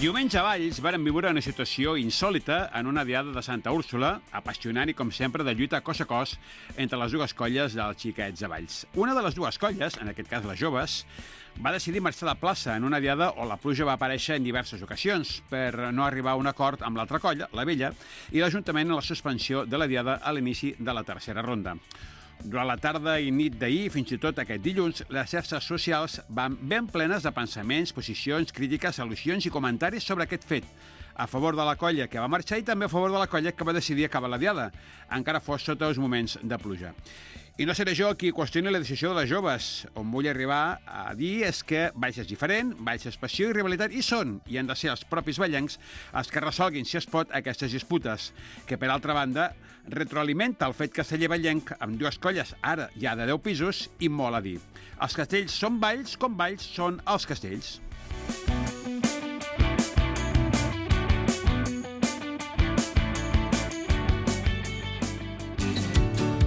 Diumenge a Valls varen viure una situació insòlita en una diada de Santa Úrsula, apassionant i, com sempre, de lluita cos a cos entre les dues colles dels xiquets de Valls. Una de les dues colles, en aquest cas les joves, va decidir marxar de plaça en una diada on la pluja va aparèixer en diverses ocasions per no arribar a un acord amb l'altra colla, la vella, i l'Ajuntament en la suspensió de la diada a l'inici de la tercera ronda. Durant la tarda i nit d'ahir, fins i tot aquest dilluns, les xarxes socials van ben plenes de pensaments, posicions, crítiques, al·lusions i comentaris sobre aquest fet, a favor de la colla que va marxar i també a favor de la colla que va decidir acabar la diada, encara fos sota els moments de pluja. I no seré jo qui qüestioni la decisió de les joves. On vull arribar a dir és que Valls és diferent, Valls és passió i rivalitat hi són, i han de ser els propis vallencs els que resolguin, si es pot, aquestes disputes, que, per altra banda, retroalimenta el fet casteller-vallenc amb dues colles, ara ja de 10 pisos, i molt a dir. Els castells són Valls com Valls són els castells.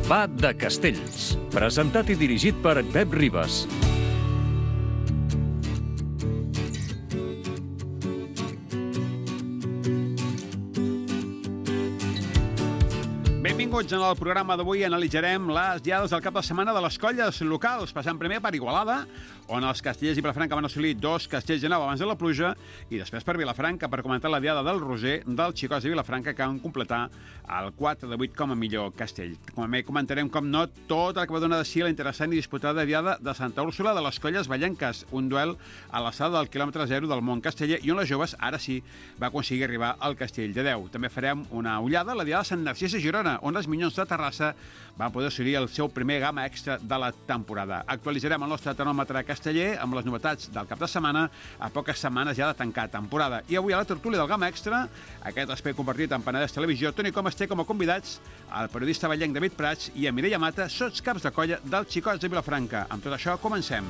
Va de Castells, presentat i dirigit per Pep Ribas. Benvinguts en el programa d'avui. Analitzarem les diades del cap de setmana de les colles locals, passant primer per Igualada, on els castellers i Vilafranca van assolir 2 castells de 9 abans de la pluja, i després per Vilafranca per comentar la diada del Roser dels xicots de Vilafranca, que van completar el 4 de 8 com a millor castell. També comentarem, com no, tot el que va donar de si la interessant i disputada diada de Santa Úrsula de les colles vallenques, un duel a l'alçada del quilòmetre 0 del món casteller, i on les joves, ara sí, va aconseguir arribar al castell de 10. També farem una ullada a la diada de Sant Narcís a Girona, on les Minyons de Terrassa van poder assolir el seu primer gamma extra de la temporada. Actualitzarem el nostre termòmetre casteller amb les novetats del cap de setmana, a poques setmanes ja de tancar temporada. I avui a la tertúlia del gamma extra, aquest espai compartit amb Penedès Televisió, Toni Comas té com a convidats el periodista vallenc David Prats i a Mireia Mata, sots caps de colla dels xicots de Vilafranca. Amb tot això, comencem.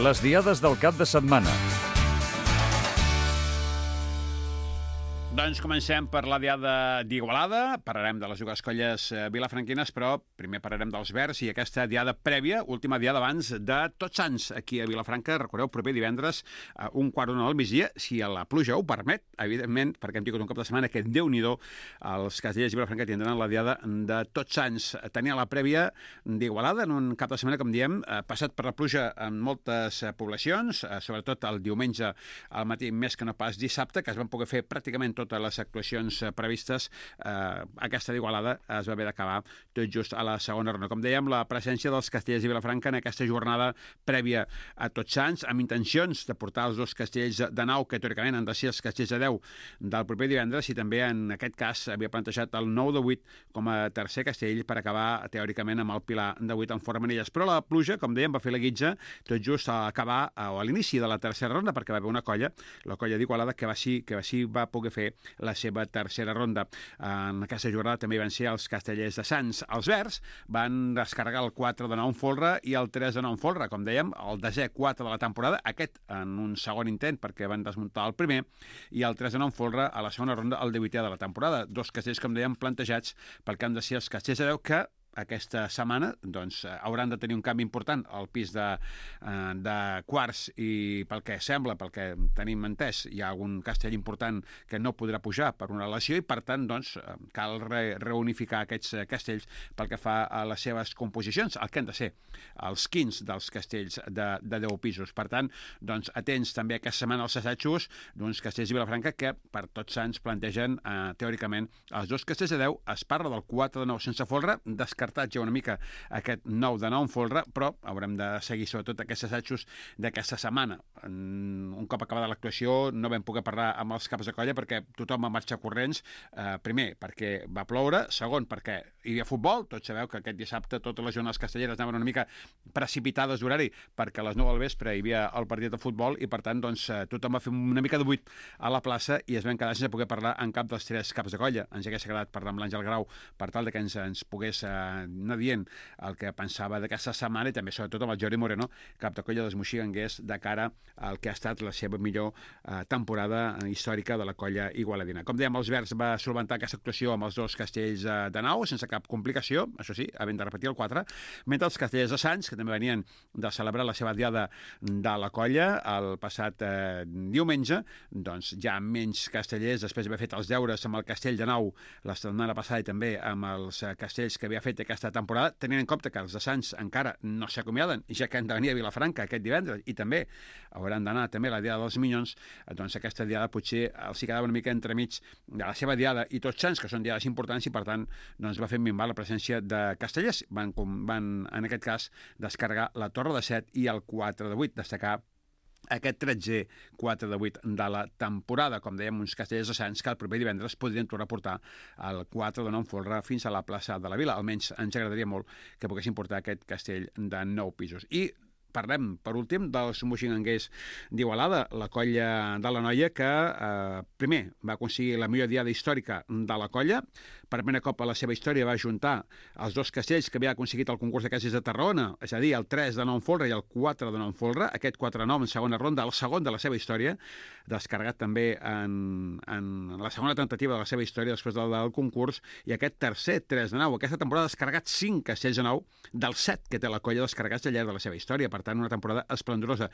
Les diades del cap de setmana. Doncs comencem per la diada d'Igualada. Parlarem de les dues colles vilafranquines, però primer parlarem dels Verds i aquesta diada prèvia, última diada abans de Tots Sants, aquí a Vilafranca. Recordeu, proper divendres, un quart d'una del migdia, si la pluja ho permet, evidentment, perquè hem tingut un cap de setmana que, Déu-n'hi-do, els castellers i Vilafranca tindran la diada de Tots Sants. Tenia la prèvia d'Igualada en un cap de setmana, com diem, passat per la pluja en moltes poblacions, sobretot el diumenge al matí, més que no pas dissabte, que es van poder fer pràcticament totes les actuacions previstes. Aquesta d'Igualada es va haver d'acabar tot just a la segona ronda. Com dèiem, la presència dels castellers i Vilafranca en aquesta jornada prèvia a Tots Sants, amb intencions de portar els dos castells de 9, que teòricament han de ser els castells de 10 del proper divendres, i també en aquest cas havia plantejat el 9 de 8 com a tercer castell per acabar teòricament amb el pilar de 8 en Fora Manilles. Però la pluja, com dèiem, va fer la guitza tot just a acabar o a l'inici de la tercera ronda, perquè va haver una colla, la colla d'Igualada, que sí va poder fer la seva tercera ronda. En aquesta jornada també van ser els castellers de Sants. Els Verds van descarregar el 4 de 9 en folre i el 3 de 9 en folre, com dèiem, el desè 4 de la temporada, aquest en un segon intent perquè van desmuntar el primer, i el 3 de 9 en folre a la segona ronda, el 18è de la temporada. Dos castells, com dèiem, plantejats pel que han de ser els castells de 10, que aquesta setmana doncs, hauran de tenir un canvi important al pis de quarts, i pel que sembla, pel que tenim entès, hi ha algun castell important que no podrà pujar per una lesió, i per tant doncs, cal reunificar aquests castells pel que fa a les seves composicions, el que han de ser els quints dels castells de 10 pisos. Per tant, doncs, atents també aquesta setmana als assajos d'uns castells de Vilafranca que per Tots Sants plantegen teòricament els dos castells de 10. Es parla del 4 de 9 sense folre, descartat ja una mica aquest 9 de 9 en folre, però haurem de seguir sobretot aquests assajos d'aquesta setmana. Un cop acabada l'actuació no vam poder parlar amb els caps de colla perquè tothom va marxar corrents, primer perquè va ploure, segon perquè hi havia futbol. Tots sabeu que aquest dissabte totes les jornades castelleres anaven una mica precipitades d'horari perquè a les 9 del vespre hi havia el partit de futbol, i per tant doncs, tothom va fer una mica de buit a la plaça i es van quedar sense poder parlar en cap dels tres caps de colla. Ens hagués agradat parlar amb l'Àngel Grau per tal de que ens pogués anar dient el que pensava d'aquesta setmana, i també sobretot amb el Jordi Moreno, cap de colla dels moxiganguers, de cara al que ha estat la seva millor temporada històrica de la colla igualadina. Com dèiem, els verds va solventar aquesta actuació amb els 2 castells de nau, sense cap complicació, això sí, havent de repetir el 4, mentre els castellers de Sants, que també venien de celebrar la seva diada de la colla el passat diumenge, doncs ja menys castellers, després d'haver fet els deures amb el castell de nau la setmana passada i també amb els castells que havia fet aquesta temporada, tenint en compte que els de Sants encara no s'acomiaden, ja que han de venir a Vilafranca aquest divendres i també hauran d'anar també a la diada dels Minyons, doncs aquesta diada potser els hi quedava una mica entremig de la seva diada i Tots Sants, que són diades importants, i per tant doncs va fer minvar la presència de castellers. Van en aquest cas descarregar la Torre de 7 i el 4 de 8, destacar aquest 13è 4 de 8 de la temporada. Com dèiem, uns castellers de Sants que el proper divendres podrien tornar a portar el 4 de 9 folre fins a la plaça de la Vila. Almenys ens agradaria molt que poguessin portar aquest castell de 9 pisos. I parlem, per últim, dels moixinganguers d'Igualada, la colla de la Noia, que primer va aconseguir la millor diada històrica de la colla. Per primer cop a la seva història va ajuntar els 2 castells que havia aconseguit el concurs de castells de Tarragona, és a dir, el 3 de 9 folre i el 4 de 9 folre, aquest 4 de 9 en segona ronda, el segon de la seva història, descarregat també en la segona tentativa de la seva història després del concurs, i aquest tercer 3 de 9, aquesta temporada ha descarregat 5 castells de 9 dels 7 que té la colla descarregats al llarg de la seva història. Per tant, una temporada esplendorosa.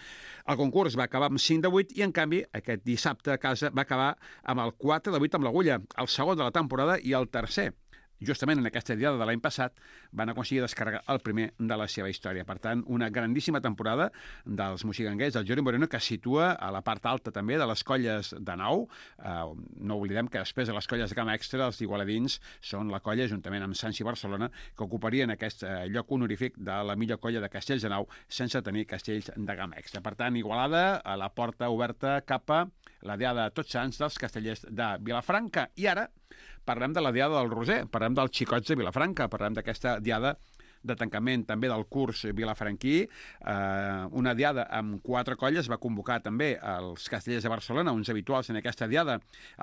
El concurs va acabar amb 5 de 8 i, en canvi, aquest dissabte a casa va acabar amb el 4 de 8 amb l'agulla, el segon de la temporada i el tercer. Justament en aquesta diada de l'any passat van aconseguir descarregar el primer de la seva història. Per tant, una grandíssima temporada dels moixinganguers del Jordi Moreno, que situa a la part alta també de les colles de nau. No oblidem que després de les colles de gamma extra, els igualadins són la colla, juntament amb Sants i Barcelona, que ocuparien aquest lloc honorífic de la millor colla de castells de nau sense tenir castells de gamma extra. Per tant, Igualada a la porta oberta cap a la diada de Tots Sants dels castellers de Vilafranca. I ara parlem de la diada del Roser, parlem dels xicots de Vilafranca, parlem d'aquesta diada de tancament també del curs vilafranquí, una diada amb 4 colles, va convocar també els castellers de Barcelona, uns habituals en aquesta diada,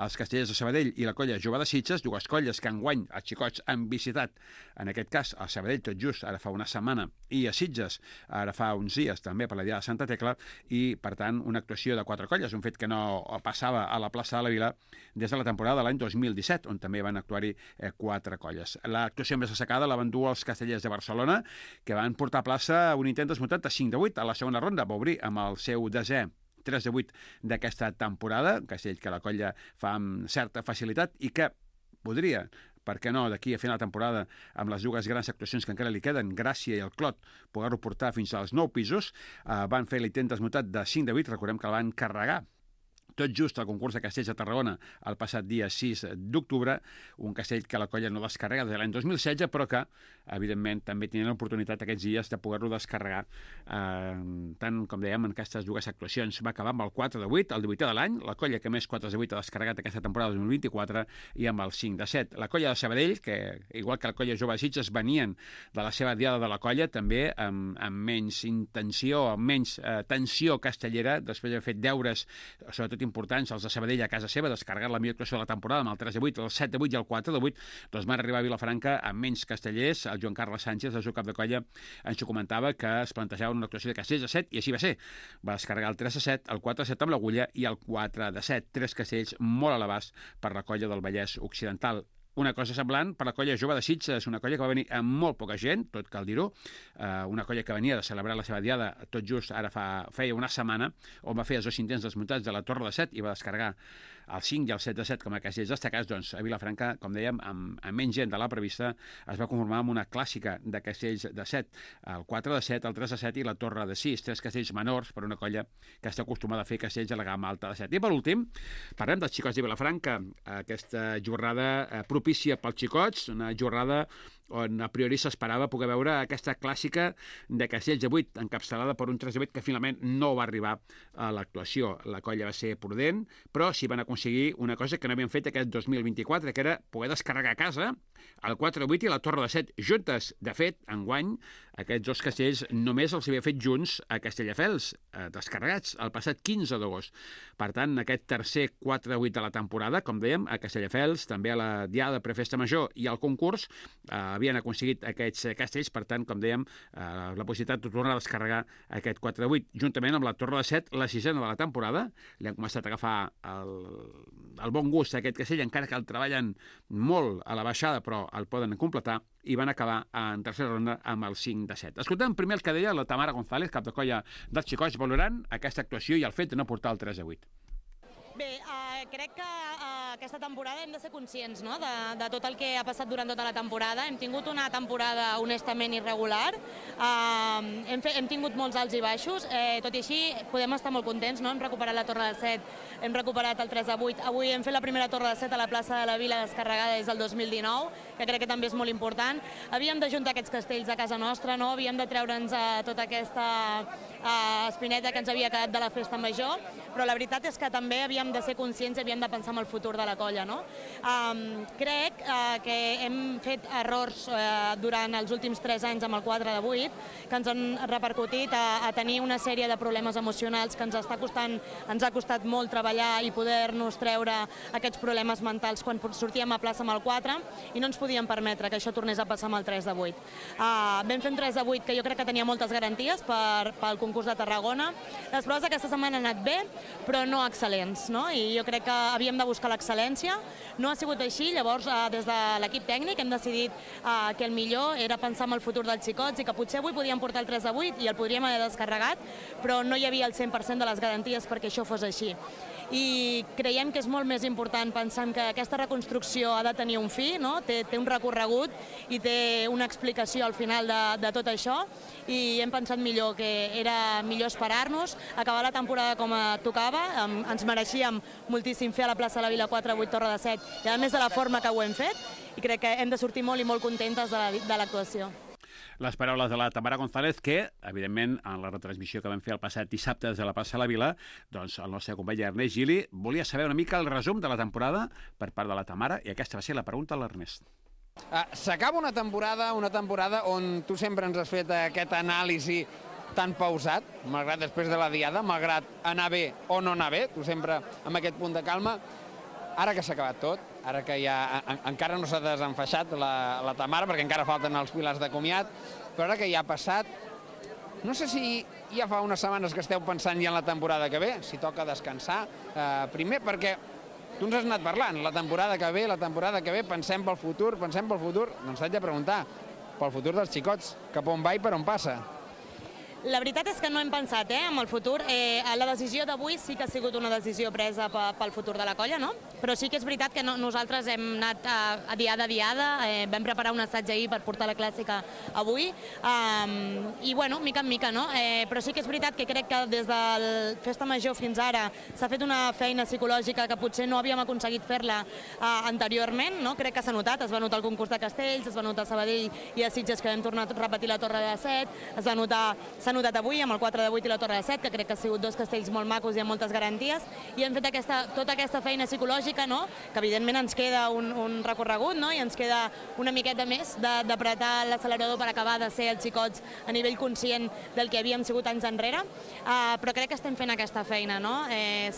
els castellers de Sabadell i la colla Jove de Sitges, 2 colles que enguany els xicots han visitat, en aquest cas a Sabadell tot just ara fa una setmana, i a Sitges ara fa uns dies també per la diada de Santa Tecla, i per tant una actuació de 4 colles, un fet que no passava a la plaça de la Vila des de la temporada de l'any 2017, on també van actuar-hi 4 colles. L'actuació més destacada la van dur els castellers de Barcelona, que van portar a plaça un intent desmuntat de 5 de 8 a la segona ronda. Va obrir amb el seu desè 3 de 8 d'aquesta temporada, un castell que la colla fa amb certa facilitat i que podria, per què no, d'aquí a final de temporada, amb les 2 grans actuacions que encara li queden, Gràcia i el Clot, poder-ho portar fins als 9 pisos. Van fer l'intent desmuntat de 5 de 8, recordem que el van carregar tot just al concurs de castells de Tarragona el passat dia 6 d'octubre, un castell que la colla no descarrega des de l'any 2016, però que, evidentment, també tenien l'oportunitat aquests dies de poder-lo descarregar, tant, com dèiem, en aquestes 2 actuacions. Va acabar amb el 4 de 8, el 18è de l'any, la colla que més 4 de 8 ha descarregat aquesta temporada 2024, i amb el 5 de 7. La colla de Sabadell, que, igual que la colla Jove de Sitges, venien de la seva diada de la colla, també amb menys intenció, amb menys tensió castellera, després d'haver fet deures, sobretot importants, els de Sabadell a casa seva, descarregat la millor actuació de la temporada amb el 3 de 8, el 7 de 8 i el 4 de 8, doncs van arribar a Vilafranca amb menys castellers. El Joan Carles Sánchez, el seu cap de colla, ens ho comentava, que es plantejava una actuació de castells de 7, i així va ser. Va descarregar el 3 de 7, el 4 de 7 amb l'agulla i el 4 de 7, 3 castells molt a l'abast per la colla del Vallès Occidental. Una cosa semblant per la colla Jove de Sitges, una colla que va venir amb molt poca gent, tot cal dir-ho, una colla que venia de celebrar la seva diada tot just ara feia una setmana, on va fer els 2 intents desmuntats de la Torre de 7 i va descarregar el 5 i el 7 de 7 com a castells destacats. Doncs a Vilafranca, com dèiem, amb menys gent de la prevista, es va conformar amb una clàssica de castells de 7, el 4 de 7, el 3 de 7 i la Torre de 6, 3 castells menors per una colla que està acostumada a fer castells a la gamma alta de 7. I per últim, parlem dels xicots de Vilafranca, aquesta jornada propícia pels xicots, una jornada on a priori s'esperava poder veure aquesta clàssica de castells de 8 encapçalada per un 3 de 8 que finalment no va arribar a l'actuació. La colla va ser prudent, però sí van aconseguir una cosa que no havien fet aquest 2024, que era poder descarregar a casa el 4 de 8 i la Torre de 7 juntes. De fet, enguany, aquests 2 castells només els havia fet junts a Castelldefels, descarregats el passat 15 d'agost. Per tant, aquest tercer 4 de 8 de la temporada, com dèiem, a Castelldefels, també a la diada prefesta major i al concurs, havien aconseguit aquests castells, per tant, com dèiem, la possibilitat de tornar a descarregar aquest 4 de 8, juntament amb la Torre de 7, la sisena de la temporada. Li han començat a agafar el bon gust a aquest castell, encara que el treballen molt a la baixada, però el poden completar, i van acabar en tercera ronda amb el 5 de 7. Escoltem primer el que deia la Tamara González, cap de colla dels xicots, valorant aquesta actuació i el fet de no portar el 3 a 8. Bé, crec que aquesta temporada hem de ser conscients, no?, de tot el que ha passat durant tota la temporada. Hem tingut una temporada honestament irregular, hem tingut molts alts i baixos, tot i així podem estar molt contents, no? Hem recuperat la Torre de 7, hem recuperat el 3 de 8, avui hem fet la primera Torre de 7 a la plaça de la Vila descarregada des del 2019, que crec que també és molt important. Havíem d'ajuntar aquests castells a casa nostra, no? Havíem de treure'ns tota aquesta espineta que ens havia quedat de la festa major, però la veritat és que també havíem de ser conscients i havíem de pensar en el futur de la colla, no? Crec que hem fet errors durant els últims 3 anys amb el 4 de 8 que ens han repercutit a tenir una sèrie de problemes emocionals que ens ha costat molt treballar i poder-nos treure aquests problemes mentals quan sortíem a plaça amb el 4 i no ens podíem permetre que això tornés a passar amb el 3 de 8. Vam fer un 3 de 8 que jo crec que tenia moltes garanties pel concurs de Tarragona. Les proves aquesta setmana han anat bé, però no excel·lents, no? I jo crec que havíem de buscar l'excel·lència. No ha sigut així, llavors des de l'equip tècnic hem decidit que el millor era pensar en el futur dels xicots i que potser avui podíem portar el 3 de 8 i el podríem haver descarregat, però no hi havia el 100% de les garanties perquè això fos així. I creiem que és molt més important pensar que aquesta reconstrucció ha de tenir un fi, no? Té un recorregut i té una explicació al final de tot això, i hem pensat millor que era millor esperar-nos, acabar la temporada com tocava, ens mereixíem moltíssim fer a la plaça de la Vila 4, 8, Torre de 7, i a més de la forma que ho hem fet, i crec que hem de sortir molt i molt contentes de l'actuació. Les paraules de la Tamara González, que, evidentment, en la retransmissió que vam fer el passat dissabte des de la plaça de la Vila, doncs el nostre company Ernest Gili volia saber una mica el resum de la temporada per part de la Tamara, i aquesta va ser la pregunta a l'Ernest. S'acaba una temporada on tu sempre ens has fet aquest anàlisi tan pausat, malgrat després de la diada, malgrat anar bé o no anar bé, tu sempre amb aquest punt de calma. Ara que s'ha acabat tot, ara que ja encara no s'ha desenfaixat la Tamara, perquè encara falten els pilars de comiat, però ara que ja ha passat, no sé si ja fa unes setmanes que esteu pensant ja en la temporada que ve, si toca descansar, primer perquè tu ens has anat parlant, la temporada que ve, pensem pel futur, doncs t'haig de preguntar, pel futur dels xicots, cap on va i per on passa? La veritat és que no hem pensat en el futur. La decisió d'avui sí que ha sigut una decisió presa pel futur de la colla, no? Però sí que és veritat que nosaltres hem anat a diada, vam preparar un assaig ahir per portar la clàssica avui, i bueno, mica en mica, no? Però sí que és veritat que crec que des de la festa major fins ara s'ha fet una feina psicològica que potser no havíem aconseguit fer-la anteriorment, no? Crec que s'ha notat, es va notar el concurs de castells, es va notar a Sabadell i a Sitges que vam tornar a repetir la Torre de 7, s'ha notat avui amb el 4 de 8 i la Torre de 7, que crec que han sigut 2 castells molt macos i amb moltes garanties, i hem fet tota aquesta feina psicològica, no? Que evidentment ens queda un recorregut, no? I ens queda una miqueta més d'apretar l'accelerador per acabar de ser els xicots a nivell conscient del que havíem sigut anys enrere, però crec que estem fent aquesta feina, no?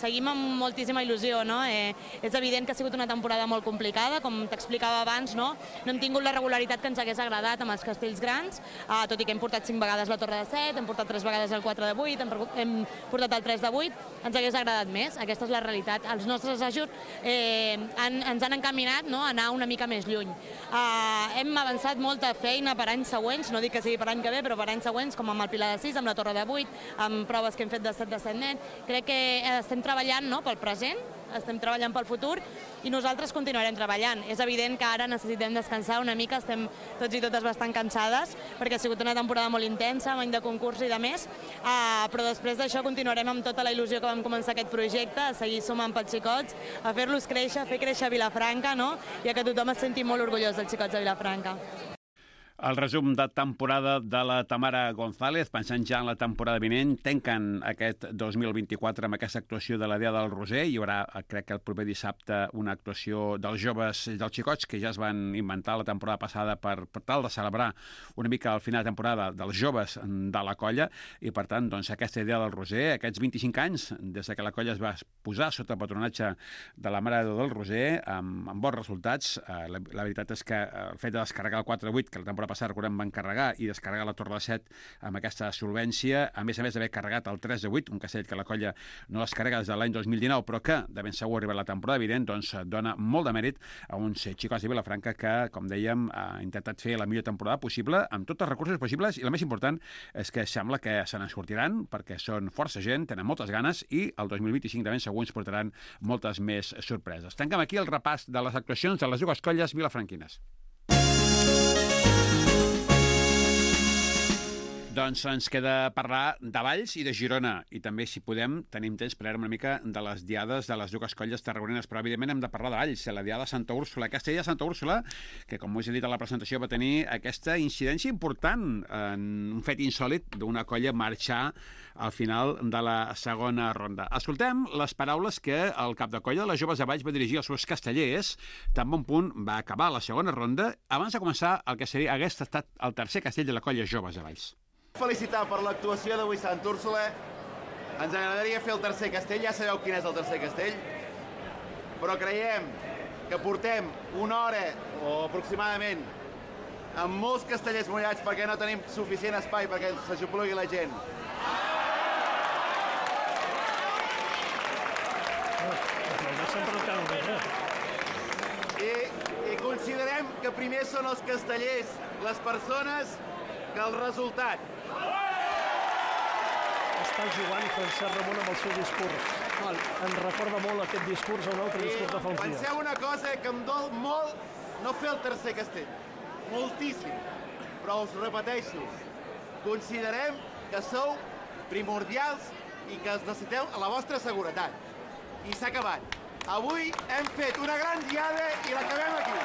Seguim amb moltíssima il·lusió, no? És evident que ha sigut una temporada molt complicada, com t'explicava abans, no? No hem tingut la regularitat que ens hagués agradat amb els castells grans, tot i que hem portat 5 vegades la Torre de 7, hem portat 3 vegades el 4 de 8, hem portat el 3 de 8, ens hagués agradat més, aquesta és la realitat. Els nostres ajuts ens han encaminat, no?, a anar una mica més lluny. Hem avançat molta feina per anys següents, no dic que sigui per any que ve, però per anys següents, com amb el Pilar de 6, amb la Torre de 8, amb proves que hem fet de 7 de 7 net. Crec que estem treballant, no?, pel present, estem treballant pel futur i nosaltres continuarem treballant. És evident que ara necessitem descansar una mica, estem tots i totes bastant cansades perquè ha sigut una temporada molt intensa, amb any de concurs i de més, però després d'això continuarem amb tota la il·lusió que vam començar aquest projecte, a seguir sumant pels xicots, a fer-los créixer, fer créixer Vilafranca, no? I a que tothom es senti molt orgullós dels xicots de Vilafranca. El resum de temporada de la Tamara González, pensant ja en la temporada vinent, tanquen aquest 2024 amb aquesta actuació de la Diada del Roser. Hi haurà, crec que el proper dissabte, una actuació dels joves, dels xicots, que ja es van inventar la temporada passada per tal de celebrar una mica el final de temporada dels joves de la colla, i per tant, doncs, aquesta Diada del Roser, aquests 25 anys, des que la colla es va posar sota el patronatge de la Mare de Déu del Roser, amb bons resultats. La veritat és que el fet de descarregar el 4-8, que la temporada passada, recordem, van carregar, i descarregar la Torre de 7 amb aquesta solvència, a més d'haver carregat el 3-8, un castell que la colla no descarrega des de l'any 2019, però que de ben segur arriba la temporada evident, doncs dona molt de mèrit a uns xicots de Vilafranca que, com dèiem, ha intentat fer la millor temporada possible, amb tots els recursos possibles, i el més important és que sembla que se n'en sortiran, perquè són força gent, tenen moltes ganes, i el 2025 de ben segur ens portaran moltes més sorpreses. Tanquem aquí el repàs de les actuacions de les dues colles vilafranquines. Doncs ens queda parlar de Valls i de Girona, i també, si podem, tenim temps per veure una mica de les diades de les dues colles tarragonines, però evidentment hem de parlar de Valls, la diada de Santa Úrsula. Aquesta diada de Santa Úrsula, que com us he dit a la presentació, va tenir aquesta incidència important, en un fet insòlit d'una colla marxar al final de la segona ronda. Escoltem les paraules que el cap de colla de les joves de Valls va dirigir als seus castellers, tan bon punt va acabar la segona ronda, abans de començar el que hagués estat el tercer castell de la colla joves de Valls. Felicitar per l'actuació d'avui Sant Úrsula. Ens agradaria fer el tercer castell, ja sabeu quin és el tercer castell, però creiem que portem una hora o aproximadament amb molts castellers mullats perquè no tenim suficient espai perquè s'aixoplugui la gent. I considerem que primer són els castellers, les persones, que el resultat. Està jugant Francesc Ramon amb el seu discurs. Ens recorda molt aquest discurs a un altre discurs de fa uns dies. Penseu una cosa, que em dol molt no fer el tercer castell. Moltíssim. Però us repeteixo, considerem que sou primordials i que necessiteu la vostra seguretat. I s'ha acabat. Avui hem fet una gran diada i l'acabem aquí.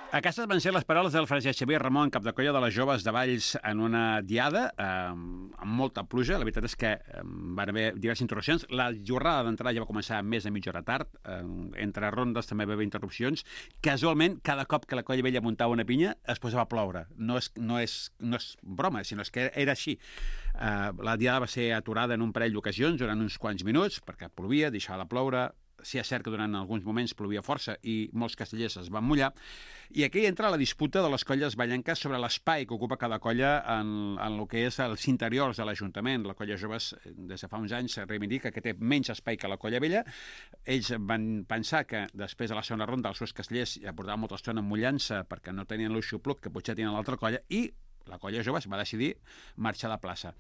Aquestes van ser les paraules del Francesc Xavier Ramon, cap de colla de les joves de Valls, en una diada amb molta pluja. La veritat és que van haver diverses interrupcions. La jornada d'entrada ja va començar més de mitja hora tard. Entre rondes també va haver interrupcions. Casualment, cada cop que la colla vella muntava una pinya, es posava a ploure. No és broma, sinó que era així. La diada va ser aturada en un parell d'ocasions durant uns quants minuts, perquè plovia, deixava de ploure. Sí, és cert que durant alguns moments plovia força i molts castellers es van mullar. I aquí entra la disputa de les colles vallenques sobre l'espai que ocupa cada colla en el que és els interiors de l'Ajuntament. La colla joves, des de fa uns anys, reivindica que té menys espai que la colla vella. Ells van pensar que després de la segona ronda els seus castellers ja portaven molta estona mullant-se perquè no tenien l'aixopluc que potser tenien l'altra colla, i la colla joves va decidir marxar de plaça.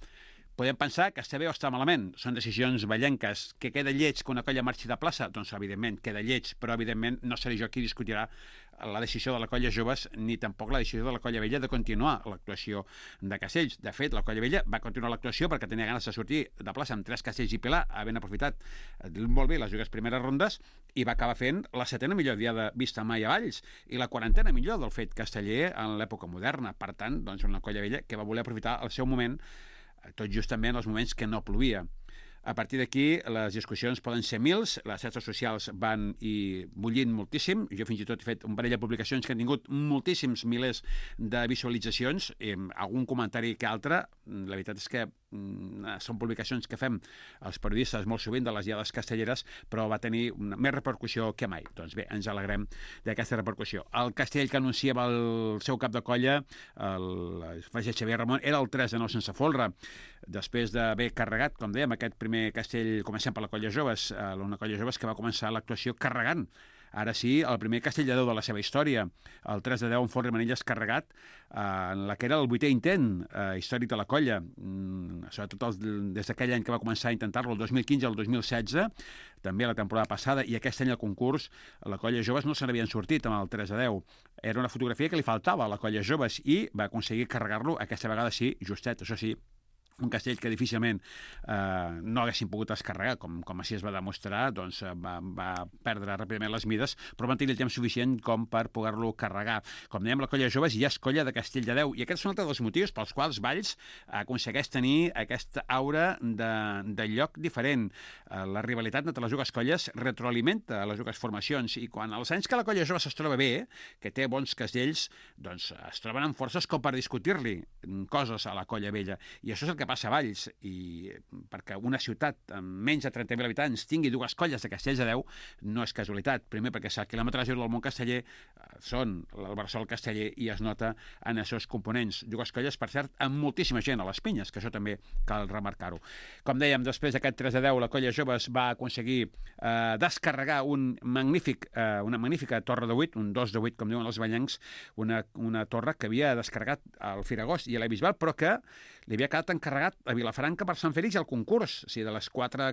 Podem pensar que està bé o està malament. Són decisions vallenques. Que queda lleig que una colla marxi de plaça? Doncs, evidentment, queda lleig, però, evidentment, no seré jo qui discutirà la decisió de la colla joves ni tampoc la decisió de la colla vella de continuar l'actuació de castells. De fet, la colla vella va continuar l'actuació perquè tenia ganes de sortir de plaça amb 3 castells i pilar, havent aprofitat molt bé les dues primeres rondes, i va acabar fent la 7ª millor diada vista mai a Valls i la 40ª millor del fet casteller en l'època moderna. Per tant, doncs, una colla vella que va voler aprofitar el seu moment, tot just també en els moments que no plovia. A partir d'aquí, les discussions poden ser mils, les xarxes socials van i bullint moltíssim. Jo fins i tot he fet un parell de publicacions que han tingut moltíssims milers de visualitzacions, algun comentari que altre. La veritat és que són publicacions que fem els periodistes molt sovint de les diades castelleres, però va tenir més repercussió que mai. Doncs bé, ens alegrem d'aquesta repercussió. El castell que anunciava el seu cap de colla, el Francesc Xavier Ramon, era el 3 de 9 sense folre. Després d'haver carregat, com dèiem, aquest primer castell, comencem per la colla joves, una colla joves que va començar l'actuació carregant. Ara sí, el primer castell de 10 de la seva història, el 3 de 10 en Forn i Manilles carregat, en la que era el 8è intent històric de la colla, sobretot des d'aquell any que va començar a intentar-lo, el 2015 al 2016, també la temporada passada, i aquest any al concurs, la colla joves no se n'havien sortit amb el 3 de 10. Era una fotografia que li faltava a la colla joves i va aconseguir carregar-lo, aquesta vegada sí, justet, això sí, un castell que difícilment no haguessin pogut descarregar, com així es va demostrar, doncs va perdre ràpidament les mides, però van tenir el temps suficient com per poder-lo carregar. Com dèiem, la colla de joves ja és colla de Castelldedeu, i aquests són altres dels motius pels quals Valls aconsegueix tenir aquesta aura de lloc diferent. La rivalitat entre les dues colles retroalimenta les dues formacions, i quan als anys que la colla jove es troba bé, que té bons castells, doncs es troben amb forces com per discutir-li coses a la colla vella, i això és el que passa a Valls, i perquè una ciutat amb menys de 30.000 habitants tingui dues colles de Castelldedeu no és casualitat. Primer, perquè el quilòmetre zero del món casteller són el Bressol casteller, i es nota en aquests components. Dues colles, per cert, amb moltíssima gent a les pinyes, que això també cal remarcar-ho. Com dèiem, després d'aquest 3-10, la colla joves va aconseguir descarregar una magnífica torre de 8, un 2 de 8, com diuen els ballencs, una torre que havia descarregat al Firagost i a la Bisbal, però que li havia quedat encarregat a Vilafranca per Sant Fèlix al concurs. O sigui, de les 4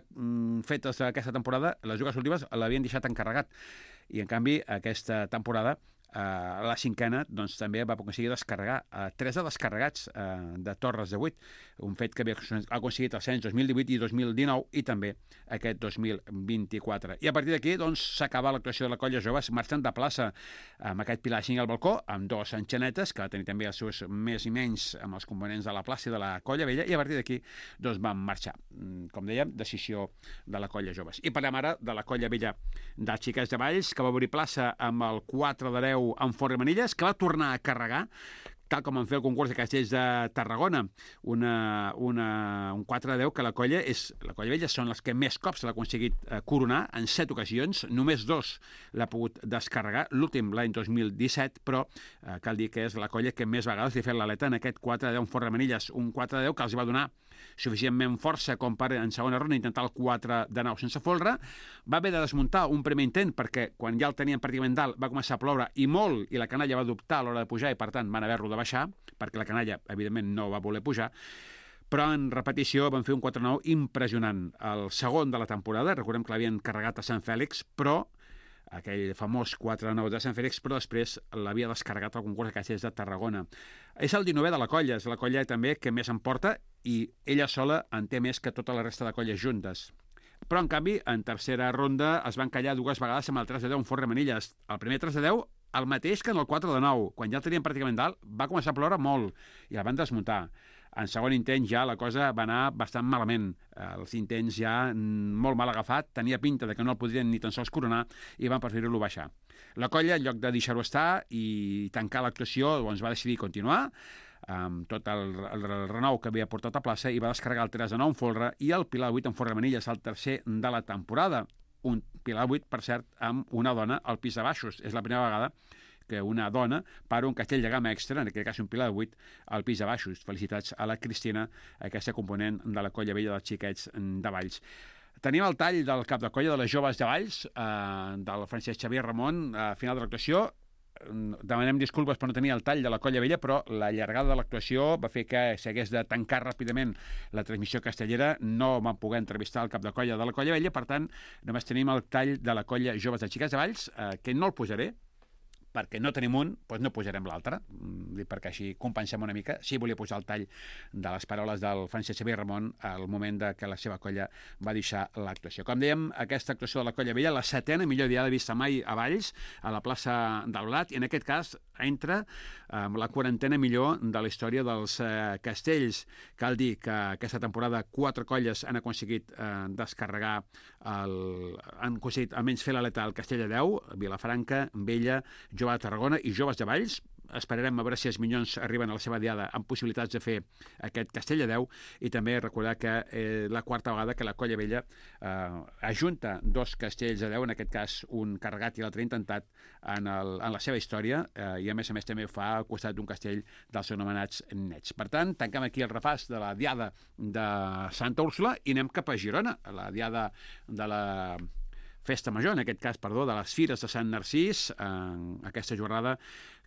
fetes d'aquesta temporada, les dues últimes l'havien deixat encarregat. I, en canvi, aquesta temporada, la 5a, doncs, també va aconseguir descarregar 3 descarregats de torres de 8, un fet que havia aconseguit els anys 2018 i 2019, i també aquest 2024. I a partir d'aquí, doncs, s'acaba l'actuació de la colla joves marxant de plaça amb aquest pilar 5 al balcó, amb 2 enxanetes, que va tenir també els seus més i menys amb els components de la plaça i de la colla vella, i a partir d'aquí, doncs, van marxar. Com dèiem, decisió de la colla joves. I parlem ara de la colla vella de Xiquets de Valls, que va obrir plaça amb el 4-10 amb Fort Manilles, que va tornar a carregar, tal com van fer el concurs de castells de Tarragona, un 4-10 que la colla vella són les que més cops l'ha aconseguit coronar, en 7 ocasions, només 2 l'ha pogut descarregar, l'últim l'any 2017, però cal dir que és la colla que més vegades li ha fet l'aleta en aquest 4-10 amb Fort Manilles, un 4-10 que els va donar suficientment força com per en segona ronda intentar el 4-9 sense folre. Va haver de desmuntar un primer intent perquè quan ja el tenien pràcticament dalt va començar a ploure i molt, i la canalla va dubtar a l'hora de pujar, i per tant van haver-lo de baixar, perquè la canalla evidentment no va voler pujar, però en repetició van fer un 4-9 impressionant. El segon de la temporada, recordem que l'havien carregat a Sant Fèlix, però aquell famós 4-9 de Sant Fèlix, però després l'havia descarregat al concurs de castells de Tarragona. És el 19è de la colla, és la colla també que més en porta, i ella sola en té més que tota la resta de colles juntes. Però, en canvi, en tercera ronda es van callar 2 vegades amb el 3-10 en Fort Manilles. El primer 3-10, el mateix que en el 4-9. Quan ja el tenien pràcticament dalt, va començar a ploure molt, i el van desmuntar. En segon intent ja la cosa va anar bastant malament. Els intents ja molt mal agafat, tenia pinta de que no el podrien ni tan sols coronar, i van preferir-lo baixar. La colla, en lloc de deixar-ho estar i tancar l'actuació, doncs va decidir continuar amb tot el renou que havia portat a plaça, i va descarregar el 3-9 en folre i el pilar 8 en Fort Manilles, el tercer de la temporada. Un pilar 8, per cert, amb una dona al pis de baixos. És la primera vegada que una dona para un castell de gamma extra, en aquest cas un pilar de 8, al pis de baixos. Felicitats a la Cristina, aquesta component de la colla vella dels Xiquets de Valls. Tenim el tall del cap de colla de les joves de Valls, del Francesc Xavier Ramon, a final de l'actuació. Demanem disculpes per no tenir el tall de la colla vella, però la llargada de l'actuació va fer que s'hagués de tancar ràpidament la transmissió castellera. No vam poder entrevistar el cap de colla de la colla vella, per tant, només tenim el tall de la colla joves de Xiquets de Valls, que no el posaré, perquè no tenim un, doncs no posarem l'altre, perquè així compensem una mica. Sí, volia posar el tall de les paraules del Francesc Xavier Ramon al moment de que la seva colla va deixar l'actuació. Com dèiem, aquesta actuació de la colla vella, la 7a millor diada vista mai a Valls, a la plaça del Blat, i en aquest cas entra amb la 40a millor de la història dels castells. Cal dir que aquesta temporada 4 colles han aconseguit descarregar, han aconseguit almenys fer l'aleta al Castelldedeu, Vilafranca, Vella, Jove de Tarragona i Joves de Valls. Esperarem a veure si els minyons arriben a la seva diada amb possibilitats de fer aquest Castelldedeu, i també recordar que la 4a vegada que la colla vella ajunta 2 castells de 10, en aquest cas un carregat i l'altre intentat, en la seva història, i a més també ho fa al costat d'un castell dels anomenats nets. Per tant, tanquem aquí el repàs de la diada de Santa Úrsula i anem cap a Girona, la diada de la Festa Major, en aquest cas, perdó, de les Fires de Sant Narcís, aquesta jornada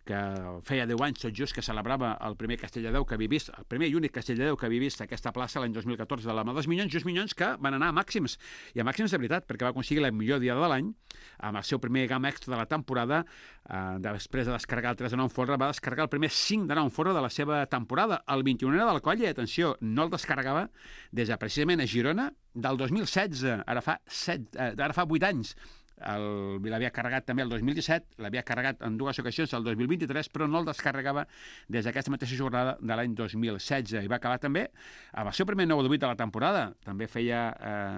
que feia 10 anys tot just que celebrava el primer Castell de Déu que havia vist, el primer i únic Castell de Déu que havia vist aquesta plaça l'any 2014 de la mà dels Minyons, just Minyons que van anar a màxims, i a màxims de veritat, perquè va aconseguir la millor diada de l'any, amb el seu primer gamma extra de la temporada, després de descarregar el 3 de 9 folre, va descarregar el primer 5 de 9 folre de la seva temporada, el 21è de la colla, i atenció, no el descarregava des de precisament a Girona del 2016, ara fa 8 anys. L'havia carregat també el 2017, l'havia carregat en 2 ocasions el 2023, però no el descarregava des d'aquesta mateixa jornada de l'any 2016, i va acabar també amb el seu primer 9 de 8 de la temporada. També feia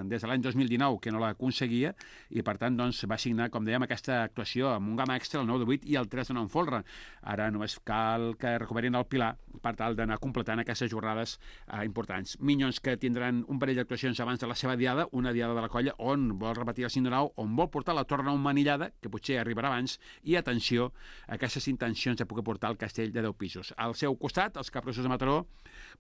des de l'any 2019 que no l'aconseguia, i per tant doncs, va signar, com dèiem, aquesta actuació amb un gamma extra, el 9 de 8 i el 3 de 9 en folre. Ara només cal que recuperin el Pilar per tal d'anar completant aquestes jornades importants. Minyons que tindran un parell d'actuacions abans de la seva diada, una diada de la colla on vol repetir el 5 de 9, on vol portar la torna manillada, que potser arribarà abans, i atenció a aquestes intencions de poder portar el castell de 10 pisos. Al seu costat, els capgrossos de Mataró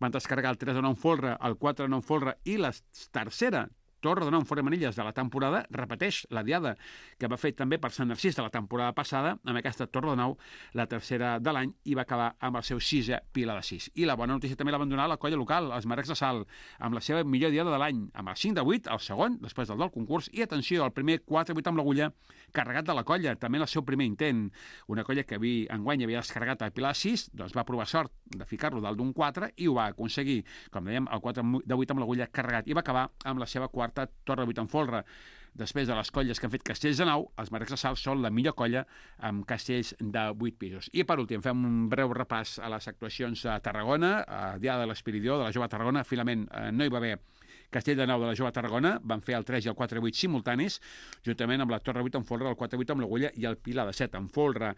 van descarregar el 3 de 9 folre, el 4 de 9 folre i la tercera torre de 9 fora manilles de la temporada, repeteix la diada que va fer també per Sant Narcís de la temporada passada, amb aquesta torre de 9, la tercera de l'any, i va acabar amb el seu 6è Pilar de 6. I la bona notícia també la va donar la colla local, els Marecs de Salt, amb la seva millor diada de l'any, amb el 5 de 8, el segon, després del concurs, i atenció, el primer 4-8 amb l'agulla, carregat de la colla, també en el seu primer intent. Una colla que enguany havia descarregat el Pilar 6, doncs va provar sort de ficar-lo dalt d'un 4 i ho va aconseguir, com dèiem, el 4 de 8 amb l'agulla carregat, i va acabar amb la seva quarta torre 8 en folre. Després de les colles que han fet castells de 9, els Marecs de Salt són la millor colla amb castells de 8 pisos. I per últim, fem un breu repàs a les actuacions a Tarragona, a Diada de l'Espiridió de la Jove Tarragona. Finalment no hi va haver Castell de 9 de la Jove Tarragona, van fer el 3 i el 4-8 simultanis, juntament amb la torre 8 en folre, el 4-8 amb l'agulla i el Pilar de 7 en folre.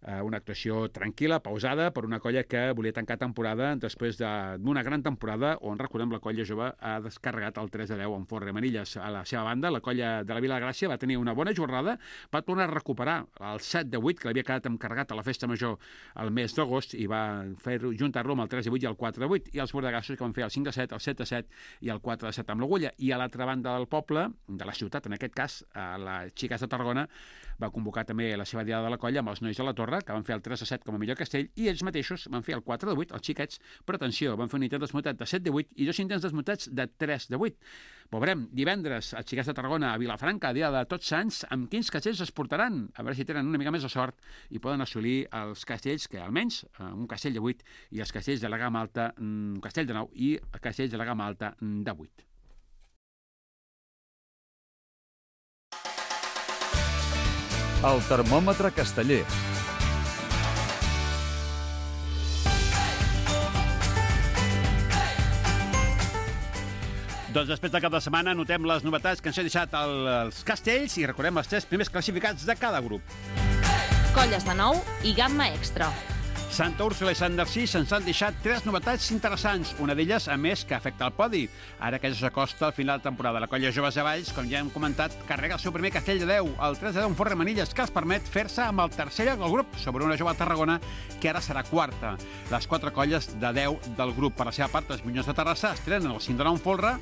Una actuació tranquil·la, pausada, per una colla que volia tancar temporada després d'una gran temporada on, recordem, la colla jove ha descarregat el 3 de 10 en folre manilles. A la seva banda, la colla de la Vila de Gràcia va tenir una bona jornada, va tornar a recuperar el 7 de 8, que l'havia quedat encarregat a la festa major el mes d'agost, i va juntar-lo amb el 3 de 8 i el 4 de 8, i els bordegassos que van fer el 5 de 7, el 7 de 7 i el 4 de 7 amb l'agulla. I a l'altra banda del poble, de la ciutat, en aquest cas, a les Xiques de Tarragona, va convocar també la seva diada de la colla amb els nois de la Torre, que van fer el 3 de 7 com a millor castell, i ells mateixos van fer el 4 de 8, els xiquets, però atenció, van fer un intent desmuntat de 7 de 8 i 2 intents desmuntats de 3 de 8. Veurem divendres els Xiquets de Tarragona a Vilafranca, dia de Tots Sants, amb quins castells es portaran, a veure si tenen una mica més de sort i poden assolir els castells, que almenys un castell de 8 i els castells de la gamma alta, un castell de 9 i castells de la gamma alta de 8. El termòmetre casteller. Doncs després del cap de setmana notem les novetats que ens ha deixat els castells i recordem els 3 primers classificats de cada grup. Colles de 9 i gamma extra. Santa Úrsula i Sant Narcís ens han deixat 3 novetats interessants, una d'elles, a més, que afecta el podi. Ara que ja s'acosta al final de temporada, la colla Joves de Valls, com ja hem comentat, carrega el seu primer castell de 10, el 3 de 10 en Forre Manilles, que els permet fer-se amb el tercer lloc del grup, sobre una jove Tarragona, que ara serà quarta. Les 4 colles de 10 del grup, per la seva part, els Minyons de Terrassa, estrenen el 5 de 9 en Folre,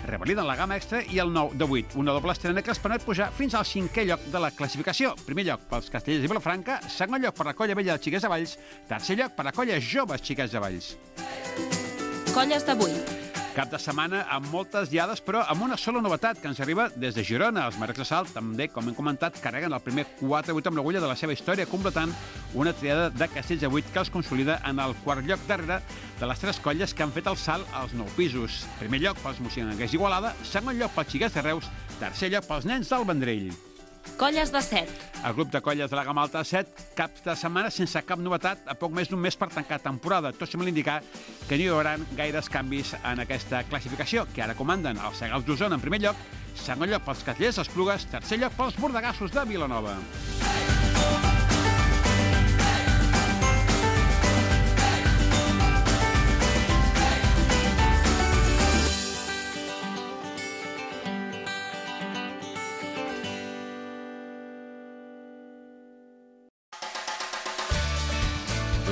revaliden la gamma extra i el 9 de 8, una doble estrena que els permet pujar fins al 5è lloc de la classificació. Primer lloc pels castellers de Vilafranca, segon lloc per la colla vella de Xiquets de Valls, tercer lloc per la colla joves Xiquets de Valls. Colles d'avui. Cap de setmana amb moltes diades, però amb una sola novetat que ens arriba des de Girona. Els Marecs de Salt, també, com hem comentat, carreguen el primer 4-8 amb l'agulla de la seva història, completant una triada de castells de 8 que els consolida en el quart lloc darrere de les 3 colles que han fet el salt als 9 pisos. Primer lloc pels moixinguers d'Igualada, segon lloc pels Xiquets de Reus, tercer lloc pels nens del Vendrell. Colles de 7. El grup de colles de la gamma alta de 7, cap de setmana sense cap novetat, a poc més d'un mes per tancar temporada. Tot sembla indicar que no hi haurà gaires canvis en aquesta classificació, que ara comanden els Segals d'Osona en primer lloc, segon lloc pels Castellers d'Esplugues, tercer lloc pels Bordegassos de Vilanova.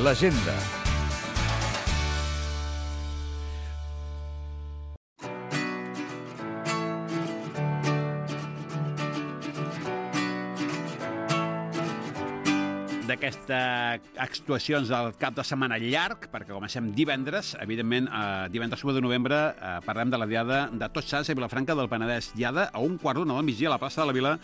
L'agenda. d'aquestes actuacions del cap de setmana llarg, perquè comencem divendres, evidentment, divendres 1 de novembre, parlem de la Diada de Tots Sants a Vilafranca del Penedès. Diada a 1:15 del migdia a la plaça de la Vila,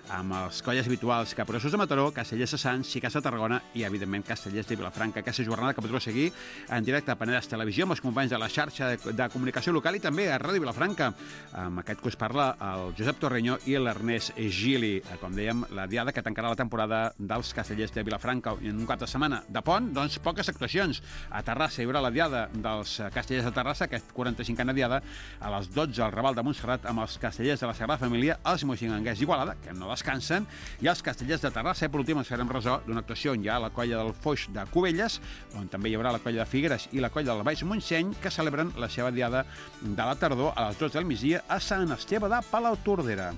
amb els colles habituals Capgrossos de Mataró, Castellers de Sants, Xiquets de Tarragona i, evidentment, Castellers de Vilafranca. Aquesta jornada que podreu seguir en directe a Penedès Televisió amb els companys de la xarxa de comunicació local i també a Ràdio Vilafranca. Amb aquest que us parla el Josep Torreño i l'Ernest Gili. Com dèiem, la Diada que tancarà la temporada dels Castellers de Vilafranca en un cap de setmana de pont, doncs poques actuacions. A Terrassa hi haurà la Diada dels Castellers de Terrassa, aquesta 45a Diada, a les 12 al Raval de Montserrat amb els Castellers de la Sagrada Família, els Moixinganguers d'Igualada, que no descansen, i els Castellers de Terrassa. I per últim ens farem ressò d'una actuació on hi ha la colla del Foix de Cubelles, on també hi haurà la colla de Figueres i la colla del Baix Montseny, que celebren la seva Diada de la tardor a les 12 del migdia a Sant Esteve de Palautordera.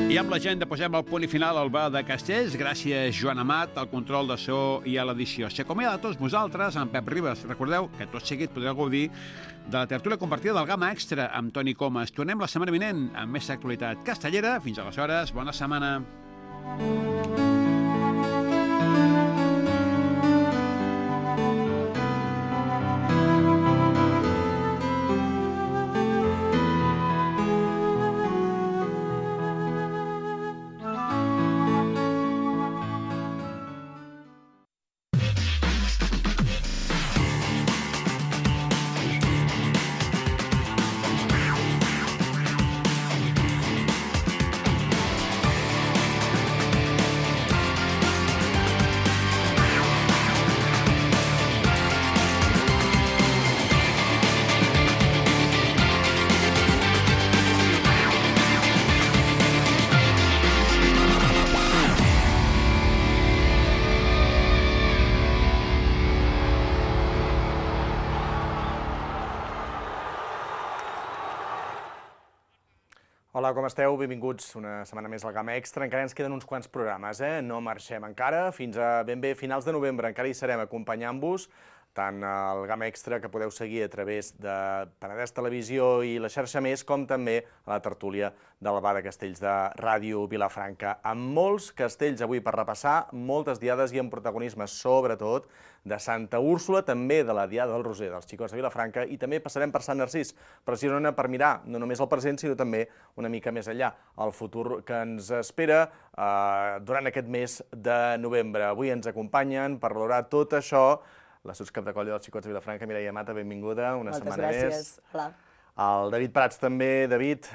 I amb l'agenda posem el punt i final al bar de Castells. Gràcies, Joan Amat, al control de so i a l'edició. S'acomiada de tots vosaltres, amb Pep Ribas. Recordeu que tot seguit podreu gaudir de la tertúlia compartida del Gamma Extra amb Toni Comas. Tornem la setmana vinent amb més actualitat castellera. Fins aleshores, bona setmana. Hola, com esteu? Benvinguts una setmana més al Gamma Extra. Encara ens queden uns quants programes, No marxem encara. Fins a ben bé finals de novembre encara hi serem acompanyant-vos, tant al Gamma Extra, que podeu seguir a través de Penedès Televisió i la xarxa Més, com també a la tertúlia del Bar de Castells de Ràdio Vilafranca. Amb molts castells avui per repassar, moltes diades i amb protagonisme, sobretot, de Santa Úrsula, també de la Diada del Roser dels Xicots de Vilafranca, i també passarem per Sant Narcís, precisament per mirar no només el present, sinó també una mica més enllà, el futur que ens espera durant aquest mes de novembre. Avui ens acompanyen per valorar tot això la subcap de colla dels Xicots de Vilafranca, Mireia Mata, benvinguda, una setmana més. Moltes gràcies. Hola. El David Prats també, David,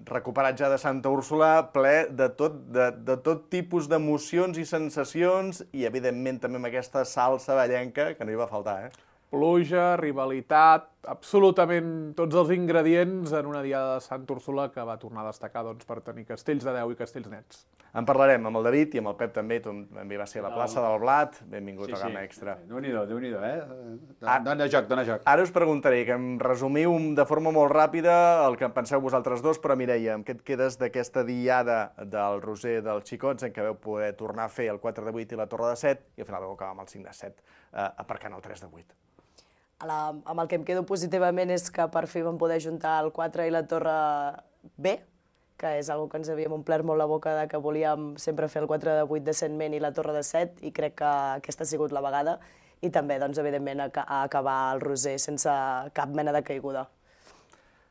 recuperat ja de Santa Úrsula, ple de tot tipus d'emocions i sensacions i, evidentment, també amb aquesta salsa ballenca que no hi va faltar, Pluja, rivalitat, absolutament tots els ingredients en una Diada de Santa Úrsula que va tornar a destacar per tenir castells de 10 i castells nets. En parlarem amb el David i amb el Pep també, també va ser a la plaça del Blat, benvingut al Gamma Extra. Déu-n'hi-do, Dona joc. Ara us preguntaré que em resumiu de forma molt ràpida el que en penseu vosaltres dos, però Mireia, amb què et quedes d'aquesta Diada del Roser dels Xicots en què vau poder tornar a fer el 4 de 8 i la Torre de 7 i al final vau acabar amb el 5 de 7, aparcant el 3 de 8? Amb el que em quedo positivament és que per fi vam poder juntar el 4 i la Torre B, que és una cosa que ens havíem omplert molt la boca de que volíem sempre fer el 4 de 8 decentment i la Torre de 7, i crec que aquesta ha sigut la vegada, i també, evidentment, acabar el Roser sense cap mena de caiguda.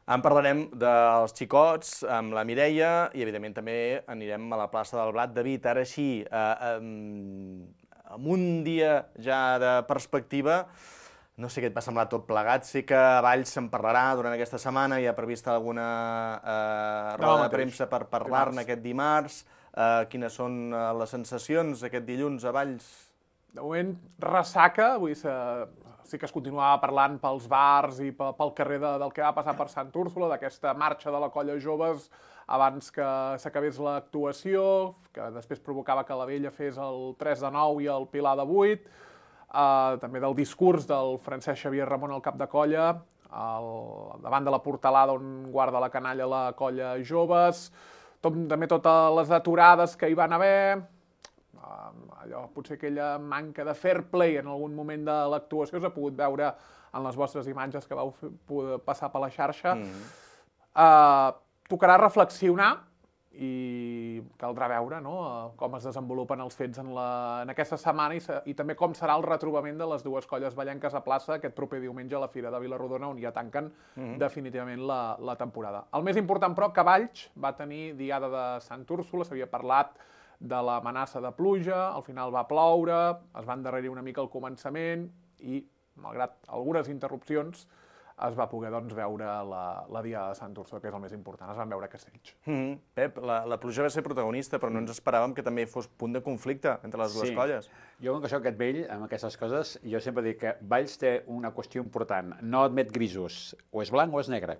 En parlarem dels Xicots amb la Mireia i, evidentment, també anirem a la plaça del Blat. David, ara així, amb un dia ja de perspectiva, no sé què et va semblar tot plegat. Sé que a Valls se'n parlarà durant aquesta setmana, hi ha prevista alguna roda de premsa per parlar-ne aquest dimarts. Quines són les sensacions aquest dilluns a Valls? De moment, ressaca, sí que es continuava parlant pels bars i pel carrer del que va passar per Sant Úrsula, d'aquesta marxa de la colla joves abans que s'acabés l'actuació, que després provocava que la Vella fes el 3 de 9 i el Pilar de 8, també del discurs del Francesc Xavier Ramon al cap de colla, davant de la portalada on guarda la canalla la colla joves, també totes les aturades que hi van haver, allò, potser aquella manca de fair play en algun moment de l'actuació s'ha pogut veure en les vostres imatges que vau poder passar per la xarxa. Tocarà reflexionar i caldrà veure com es desenvolupen els fets en aquesta setmana i també com serà el retrobament de les dues colles ballenques a plaça aquest proper diumenge a la Fira de Vila-rodona, on ja tanquen definitivament la temporada. El més important, però, que Valls va tenir diada de Sant Úrsula, s'havia parlat de l'amenaça de pluja, al final va ploure, es va endarrerir una mica al començament i, malgrat algunes interrupcions, es va poder veure la diada de Sant Úrsula, que és el més important. Es van veure castells. Pep, la pluja va ser protagonista, però no ens esperàvem que també fos punt de conflicte entre les dues colles. Jo, com que soc aquest vell, amb aquestes coses, jo sempre dic que Valls té una qüestió important. No admet grisos. O és blanc o és negre.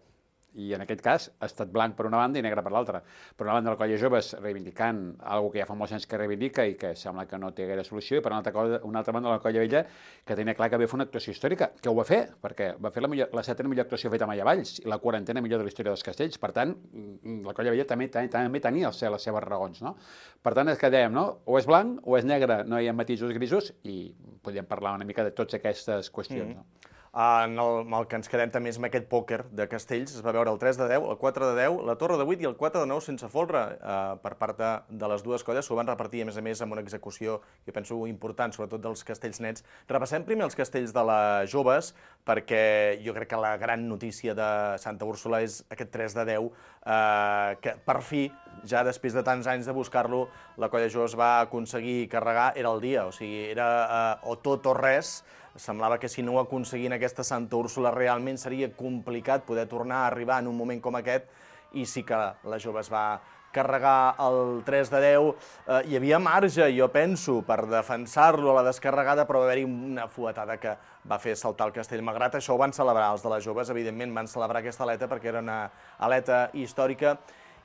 I en aquest cas ha estat blanc per una banda i negre per l'altra. Per una banda, la colla joves reivindicant alguna que ja fa molts anys que reivindica i que sembla que no té gaire solució, i per una altra banda, la colla vella, que tenia clar que havia fet una actuació històrica, que ho va fer, perquè va fer la setena millor actuació feta mai a Valls i la 40a millor de la història dels castells. Per tant, la colla vella també tenia les seves raons, no? Per tant, és que dèiem, no? O és blanc o és negre, no hi ha matisos grisos, i podríem parlar una mica de totes aquestes qüestions, no? En el que ens quedem també és amb aquest pòquer de castells. Es va veure el 3 de 10, el 4 de 10, la torre de 8 i el 4 de 9 sense folre per part de les dues colles. S'ho van repartir, a més, amb una execució, jo penso, important, sobretot dels castells nets. Repassem primer els castells de les joves, perquè jo crec que la gran notícia de Santa Úrsula és aquest 3 de 10, que per fi, ja després de tants anys de buscar-lo, la colla joves va aconseguir carregar, era el dia, o sigui, era o tot o res. Semblava que si no ho aconseguien aquesta Santa Úrsula realment seria complicat poder tornar a arribar en un moment com aquest, i sí que la jove es va carregar el 3 de 10. Hi havia marge, jo penso, per defensar-lo a la descarregada, però va haver-hi una fuetada que va fer saltar el castell. Malgrat això ho van celebrar els de les joves, evidentment van celebrar aquesta aleta perquè era una aleta històrica,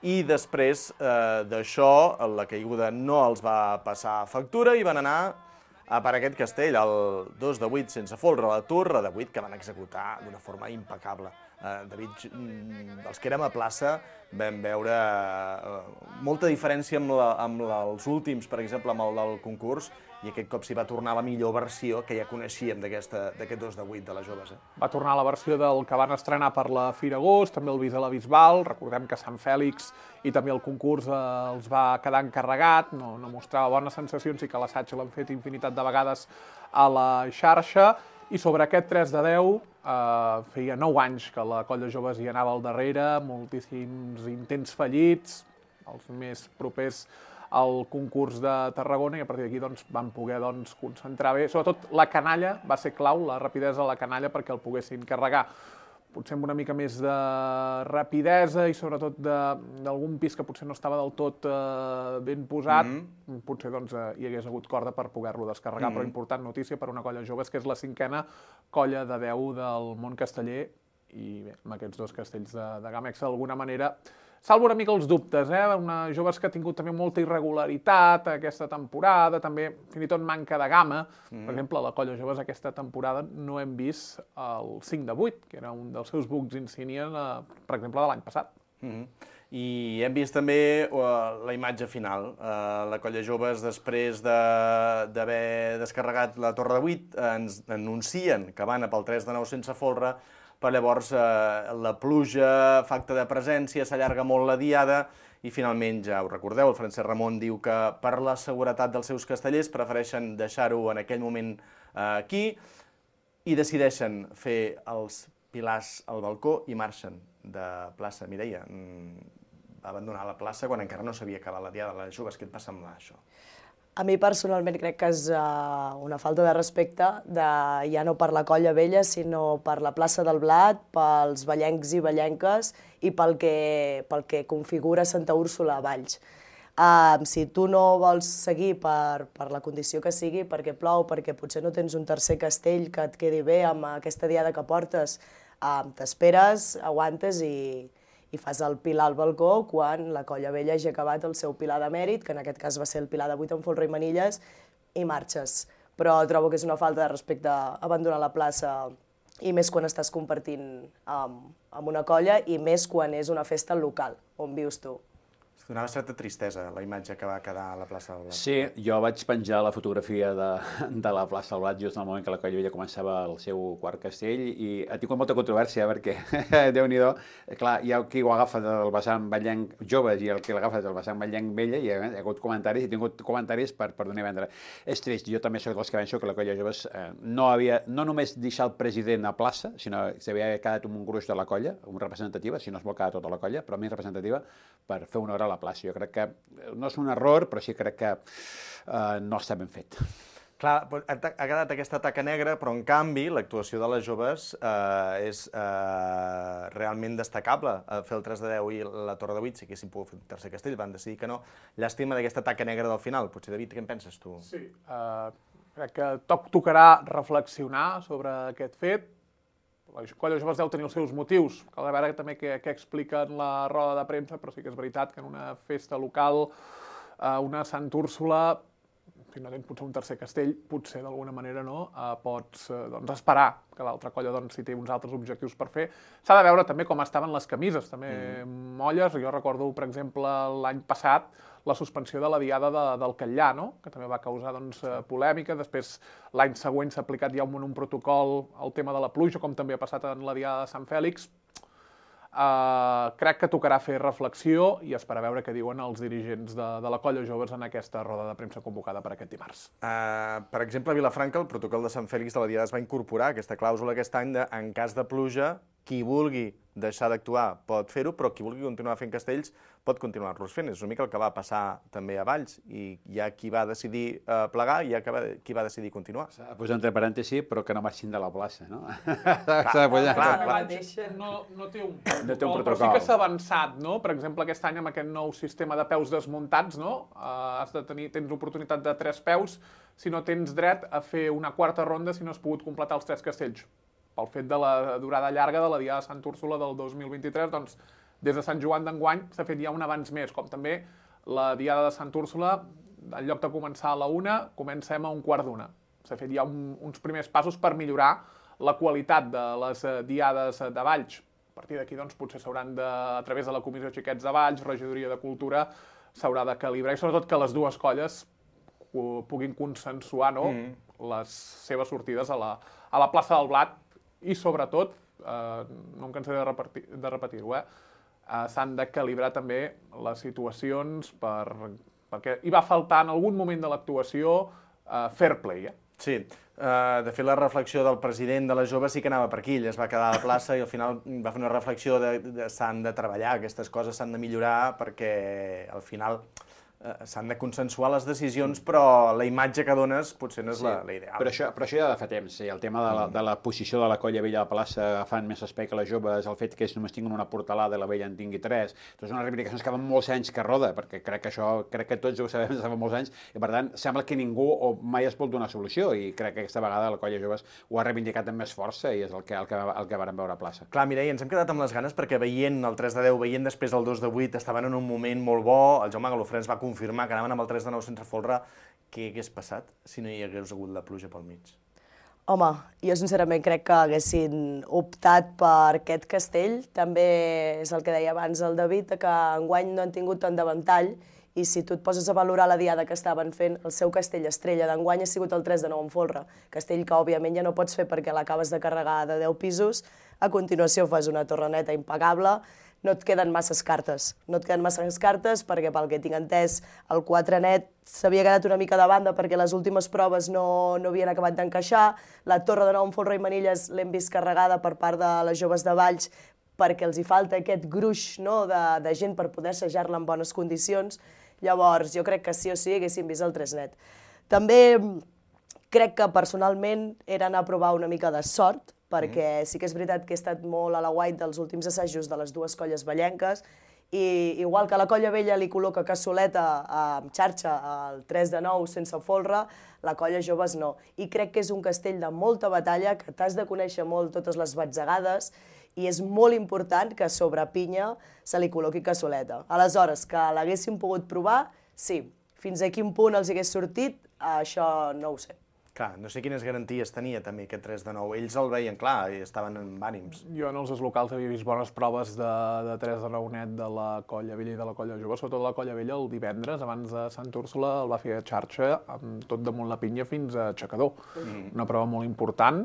i després d'això la caiguda no els va passar factura i van anar per aquest castell, el 2 de 8 sense folre, la torre de 8, que van executar d'una forma impecable. David, els que érem a plaça vam veure molta diferència amb els últims, per exemple, amb el del concurs, i aquest cop s'hi va tornar la millor versió que ja coneixíem d'aquest 2 de 8 de les joves. Va tornar la versió del que van estrenar per la Fira Agost, també el Visa a la Bisbal. Recordem que Sant Fèlix i també el concurs els va quedar encarregat, no mostrava bones sensacions, i que l'assaig l'han fet infinitat de vegades a la xarxa. I sobre aquest 3 de 10, feia 9 anys que la colla joves hi anava al darrere, moltíssims intents fallits, els més propers al concurs de Tarragona, i a partir d'aquí van poder concentrar bé. Sobretot la canalla va ser clau, la rapidesa de la canalla, perquè el poguessin carregar. Potser amb una mica més de rapidesa i sobretot d'algun pis que potser no estava del tot ben posat, potser hi hagués hagut corda per poder-lo descarregar. Però important notícia per una colla joves, que és la 5a colla de 10 del món casteller, i bé, amb aquests dos castells de gamma extra, d'alguna manera, salvo una mica els dubtes, una joves que ha tingut també molta irregularitat aquesta temporada, també fins i tot manca de gamma. Per exemple, a la colla joves aquesta temporada no hem vist el 5 de 8, que era un dels seus bucs insígnia, per exemple, de l'any passat. I hem vist també la imatge final. La colla joves, després d'haver descarregat la torre de 8, ens anuncien que van pel 3 de 9 sense folre, però llavors la pluja fa acte de presència, s'allarga molt la diada, i finalment, ja ho recordeu, el Francesc Ramon diu que per la seguretat dels seus castellers prefereixen deixar-ho en aquell moment aquí, i decideixen fer els pilars al balcó i marxen de plaça. Mireia, va abandonar la plaça quan encara no s'havia acabat la diada de les joves. Què et va semblar, això? A mi personalment crec que és una falta de respecte, ja no per la colla vella, sinó per la plaça del Blat, pels ballencs i ballenques i pel que configura Santa Úrsula a Valls. Si tu no vols seguir per la condició que sigui, perquè plou, perquè potser no tens un tercer castell que et quedi bé amb aquesta diada que portes, t'esperes, aguantes i fas el pilar al balcó quan la colla vella hagi acabat el seu pilar de mèrit, que en aquest cas va ser el pilar de 8 amb folre i manilles, i marxes. Però trobo que és una falta de respecte abandonar la plaça, i més quan estàs compartint amb una colla, i més quan és una festa local, on vius tu. Donava certa tristesa la imatge que va quedar a la plaça del Blat. Sí, jo vaig penjar la fotografia de la plaça del Blat just en el moment que la Colla Vella començava el seu quart castell i ha tingut molta controvèrsia perquè, Déu-n'hi-do, clar, hi ha qui ho agafa del vessant ballenc joves i el que l'agafa del vessant ballenc vella i hi ha hagut comentaris, he tingut comentaris per donar a vendre. És trist, jo també soc dels que penso que la Colla Joves no només deixar el president a plaça, sinó que s'havia quedat un gruix de la colla, una representativa, si no es vol quedar tota la colla, però més representativa per fer honor a la plaça. Jo crec que no és un error, però sí crec que no està ben fet. Clar, ha quedat aquesta taca negra, però en canvi l'actuació de les joves és realment destacable. Fer el 3 de 10 i la Torre de 8, si haguessin pogut fer un tercer castell, van decidir que no. Llàstima d'aquesta taca negra del final. Potser, David, què en penses tu? Sí, crec que tocarà reflexionar sobre aquest fet. La Colla Joves deu tenir els seus motius. Cal veure també què explica en la roda de premsa, però sí que és veritat que en una festa local, una Sant Úrsula, si no tens potser un tercer castell, potser d'alguna manera no, pots esperar que l'altra colla, si té uns altres objectius per fer. S'ha de veure també com estaven les camises, també molles. Jo recordo, per exemple, l'any passat, la suspensió de la diada del Catllà, que també va causar polèmica. Després, l'any següent s'ha aplicat ja un protocol al tema de la pluja, com també ha passat en la diada de Sant Fèlix. Crec que tocarà fer reflexió i esperar a veure què diuen els dirigents de la Colla Joves en aquesta roda de premsa convocada per aquest dimarts. Per exemple, a Vilafranca, el protocol de Sant Fèlix de la diada es va incorporar aquesta clàusula aquest any de, en cas de pluja, qui vulgui deixar d'actuar pot fer-ho, però qui vulgui continuar fent castells pot continuar-los fent. És una mica el que va passar també a Valls, i hi ha qui va decidir plegar i hi ha qui va decidir continuar. S'ha de posar entre parèntesis, però que no marxin de la plaça, no? No té un protocol, però sí que s'ha avançat, no? Per exemple, aquest any amb aquest nou sistema de peus desmuntats, no? Tens oportunitat de 3 peus, si no tens dret a fer una quarta ronda si no has pogut completar els 3 castells. Pel fet de la durada llarga de la diada de Sant Úrsula del 2023, doncs, des de Sant Joan d'enguany s'ha fet ja un abans més, com també la diada de Sant Úrsula, en lloc de començar a la 1, comencem a 1:15. S'ha fet ja uns primers passos per millorar la qualitat de les diades de Valls. A partir d'aquí, doncs, potser s'hauran de, a través de la Comissió Xiquets de Valls, Regidoria de Cultura, s'haurà de calibrar, i sobretot que les dues colles puguin consensuar les seves sortides a la plaça del Blat. I, sobretot, no em cansaré de repetir-ho, s'han de calibrar també les situacions perquè hi va faltar en algun moment de l'actuació fair play. Sí, de fet la reflexió del president de les joves sí que anava per aquí, ell es va quedar a la plaça i al final va fer una reflexió de s'han de treballar, aquestes coses s'han de millorar perquè al final s'han de consensuar les decisions, però la imatge que dones potser no és la ideal. Però això ja de fa temps, el tema de la posició de la Colla Vella a la plaça agafant més espai que les joves, el fet que ells només tinguin una portalada i la Vella en tingui 3, són unes reivindicacions que fa molts anys que roda, perquè crec que tots ho sabem des de fa molts anys, i per tant sembla que ningú mai es vol donar solució, i crec que aquesta vegada la Colla Joves ho ha reivindicat amb més força i és el que vàrem veure a plaça. Clar, Mireia, ens hem quedat amb les ganes perquè veient el 3 de 10, veient després el 2 de 8, estaven en un moment molt bo, el Jaume Galofré ens va confirmar que anaven amb el 3 de 9 sense folre. Què hagués passat si no hi hagués hagut la pluja pel mig? Home, jo sincerament crec que haguessin optat per aquest castell. També és el que deia abans el David, que enguany no han tingut tant davantall, i si tu et poses a valorar la diada que estaven fent, el seu castell estrella d'enguany ha sigut el 3 de 9 en folre. Castell que, òbviament, ja no pots fer perquè l'acabes de carregar de 10 pisos. A continuació fas una torre neta impecable. No et queden masses cartes. No et queden masses cartes perquè, pel que tinc entès, el 4 net s'havia quedat una mica de banda perquè les últimes proves no havien acabat d'encaixar. La torre de 9 en folre i manilles l'hem vist carregada per part de les joves de Valls perquè els hi falta aquest gruix de gent per poder assajar-la en bones condicions. Llavors, jo crec que sí o sí haguéssim vist el 3 net. També crec que personalment era anar a provar una mica de sort, perquè sí que és veritat que he estat molt a la guait dels últims assajos de les dues colles vallenques, i igual que la Colla Vella li col·loca cassoleta amb xarxa al 3 de 9 sense folre, la Colla Joves no. I crec que és un castell de molta batalla, que t'has de conèixer molt totes les batzegades, i és molt important que sobre pinya se li col·loqui cassoleta. Aleshores, que l'haguessin pogut provar, sí. Fins a quin punt els hagués sortit, això no ho sé. Clar, no sé quines garanties tenia també aquest 3 de 9. Ells el veien clar i estaven amb ànims. Jo en els locals havia vist bones proves de 3 de 9 net de la Colla Vella i de la Colla Jove. Sobretot la Colla Vella el divendres, abans de Santa Úrsula, el va fer a xarxa amb tot damunt la pinya fins a Aixecador. Una prova molt important,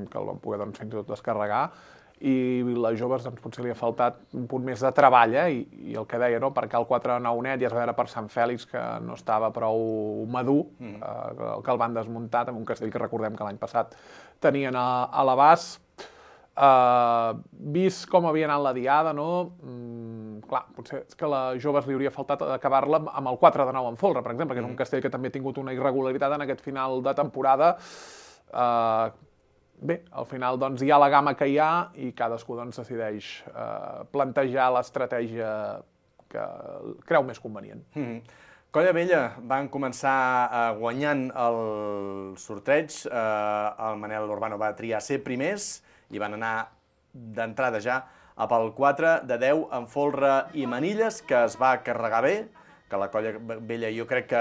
que el van poder fins i tot descarregar, i les joves potser li ha faltat un punt més de treball, i el que deia, perquè el 4 de 9 net ja es va veure per Sant Fèlix que no estava prou madur, que el van desmuntar, amb un castell que recordem que l'any passat tenien a l'abast. Vist com havia anat la diada, clar, potser és que a les joves li hauria faltat acabar-la amb el 4 de 9 en folre, per exemple, que és un castell que també ha tingut una irregularitat en aquest final de temporada. Bé, al final hi ha la gamma que hi ha i cadascú decideix plantejar l'estratègia que creu més convenient. Colla Vella van començar guanyant el sorteig, el Manel Urbano va triar ser primers i van anar d'entrada ja pel 4 de 10 en folre i manilles, que es va carregar bé, que la Colla Vella jo crec que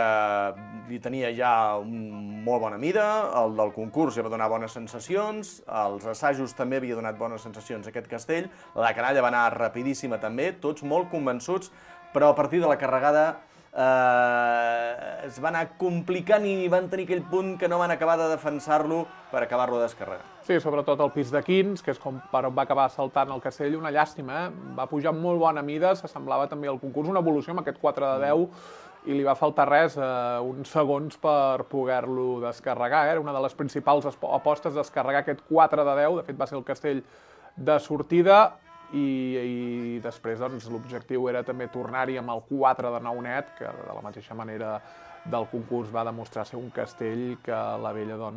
li tenia ja molt bona mida, el del concurs ja va donar bones sensacions, els assajos també havia donat bones sensacions aquest castell, la canalla va anar rapidíssima també, tots molt convençuts, però a partir de la carregada es va anar complicant i van tenir aquell punt que no van acabar de defensar-lo per acabar-lo de descarregar. Sí, sobretot el pis de Quins, que és com per on va acabar saltant el castell, una llàstima, va pujar amb molt bona mida, s'assemblava també al concurs, una evolució amb aquest 4 de 10, i li va faltar res, uns segons per poder-lo descarregar. Era una de les principals apostes, descarregar aquest 4 de 10, de fet va ser el castell de sortida, i després l'objectiu era també tornar-hi amb el 4 de 9 net, que de la mateixa manera del concurs va demostrar ser un castell que la Vella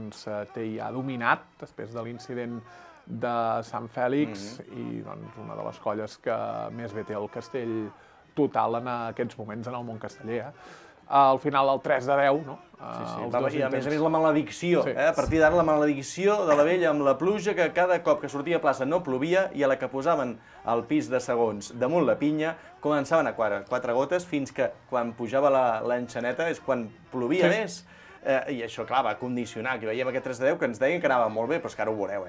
té ja dominat després de l'incident de Sant Fèlix i una de les colles que més bé té el castell total en aquests moments en el món casteller. Al final el 3 de 10, no? I a més la maledicció, a partir d'ara la maledicció de la Vella amb la pluja, que cada cop que sortia a plaça no plovia i a la que posaven el pis de segons damunt la pinya començaven a quatre gotes fins que quan pujava l'enxaneta és quan plovia més. I això, clar, va condicionar, que veiem aquest 3 de 10 que ens deien que anava molt bé, però és que ara ho veureu,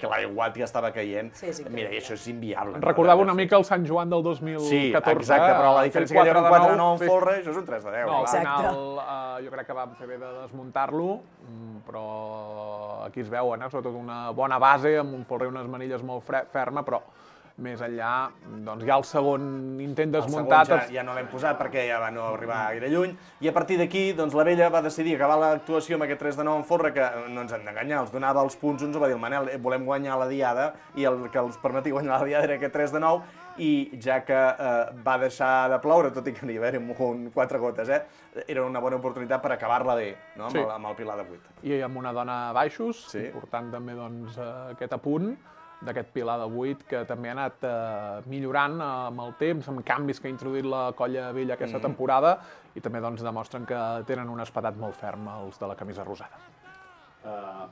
que l'aigua que estava caient, mira, i això és inviable. Recordava una mica el Sant Joan del 2014. Sí, exacte, però la diferència que hi ha un 4 de 9 en folre, això és un 3 de 10. No, al final jo crec que vam fer bé de desmuntar-lo, però aquí es veu, sobretot una bona base, amb un folre i unes manilles molt ferma, però més enllà, ja el segon intent desmuntat... El segon ja no l'hem posat perquè ja va no arribar gaire lluny, i a partir d'aquí la Vella va decidir acabar l'actuació amb aquest 3 de 9 en folre, que no ens hem d'enganyar, els donava els punts, uns ho va dir el Manel, volem guanyar la diada, i el que els permetia guanyar la diada era aquest 3 de 9, i ja que va deixar de ploure, tot i que n'hi va haver 4 gotes, era una bona oportunitat per acabar-la bé, amb el pilar de 8. I amb una dona a baixos, important també aquest apunt, d'aquest pilar de 8, que també ha anat millorant amb el temps, amb canvis que ha introduït la Colla Vella aquesta temporada, i també demostren que tenen un espadat molt ferm els de la camisa rosada.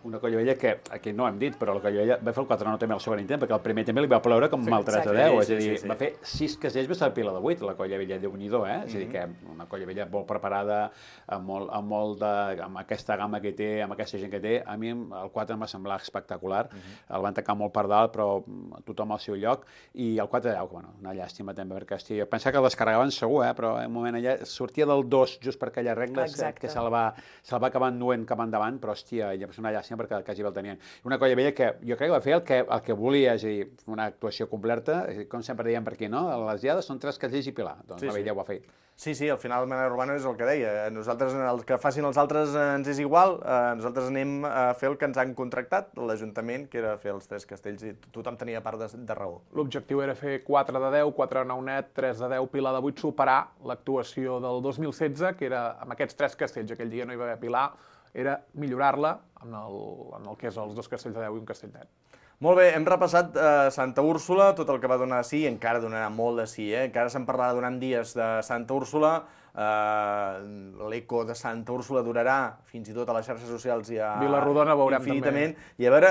Una Colla Vella que, aquí no ho hem dit, però la Colla Vella va fer el 4 de 9 també al segon intent, perquè el primer també li va ploure com el 3 de 10, és a dir, va fer 6 castells va ser el pilar de 8, la Colla Vella Déu-n'hi-do, és a dir, que una Colla Vella molt preparada, amb aquesta gamma que té, amb aquesta gent que té, a mi el 4 em va semblar espectacular, el van tacar molt per dalt, però tothom al seu lloc, i el 4 de 10, bueno, una llàstima també, perquè jo pensava que el descarregaven segur, però en un moment allà sortia del 2 just per aquelles regles, que se'l va acabar enduent cap endavant, però hòstia, ja va ser una llàstima perquè quasi el tenien. Una Colla Vella que jo crec que va fer el que volia, és a dir, una actuació completa, com sempre dèiem per aquí, no? Les diades són 3 castells i pilar, doncs la Vella ho va fer. Sí, al final el Manel Urbano és el que deia, nosaltres, el que facin els altres ens és igual, nosaltres anem a fer el que ens han contractat, l'Ajuntament, que era fer els 3 castells, i tothom tenia part de raó. L'objectiu era fer 4 de 10, 4 de 9 net, 3 de 10, pilar de 8, superar l'actuació del 2016, que era amb aquests 3 castells, aquell dia no hi va haver pilar, era millorar-la en el que és els 2 castells de 10 i un castell net. Molt bé, hem repassat Santa Úrsula, tot el que va donar de sí, i encara donarà molt de sí, encara se'n parlarà durant dies de Santa Úrsula, l'eco de Santa Úrsula durarà fins i tot a les xarxes socials i a Vilarrodona veurem infinitament. I a veure,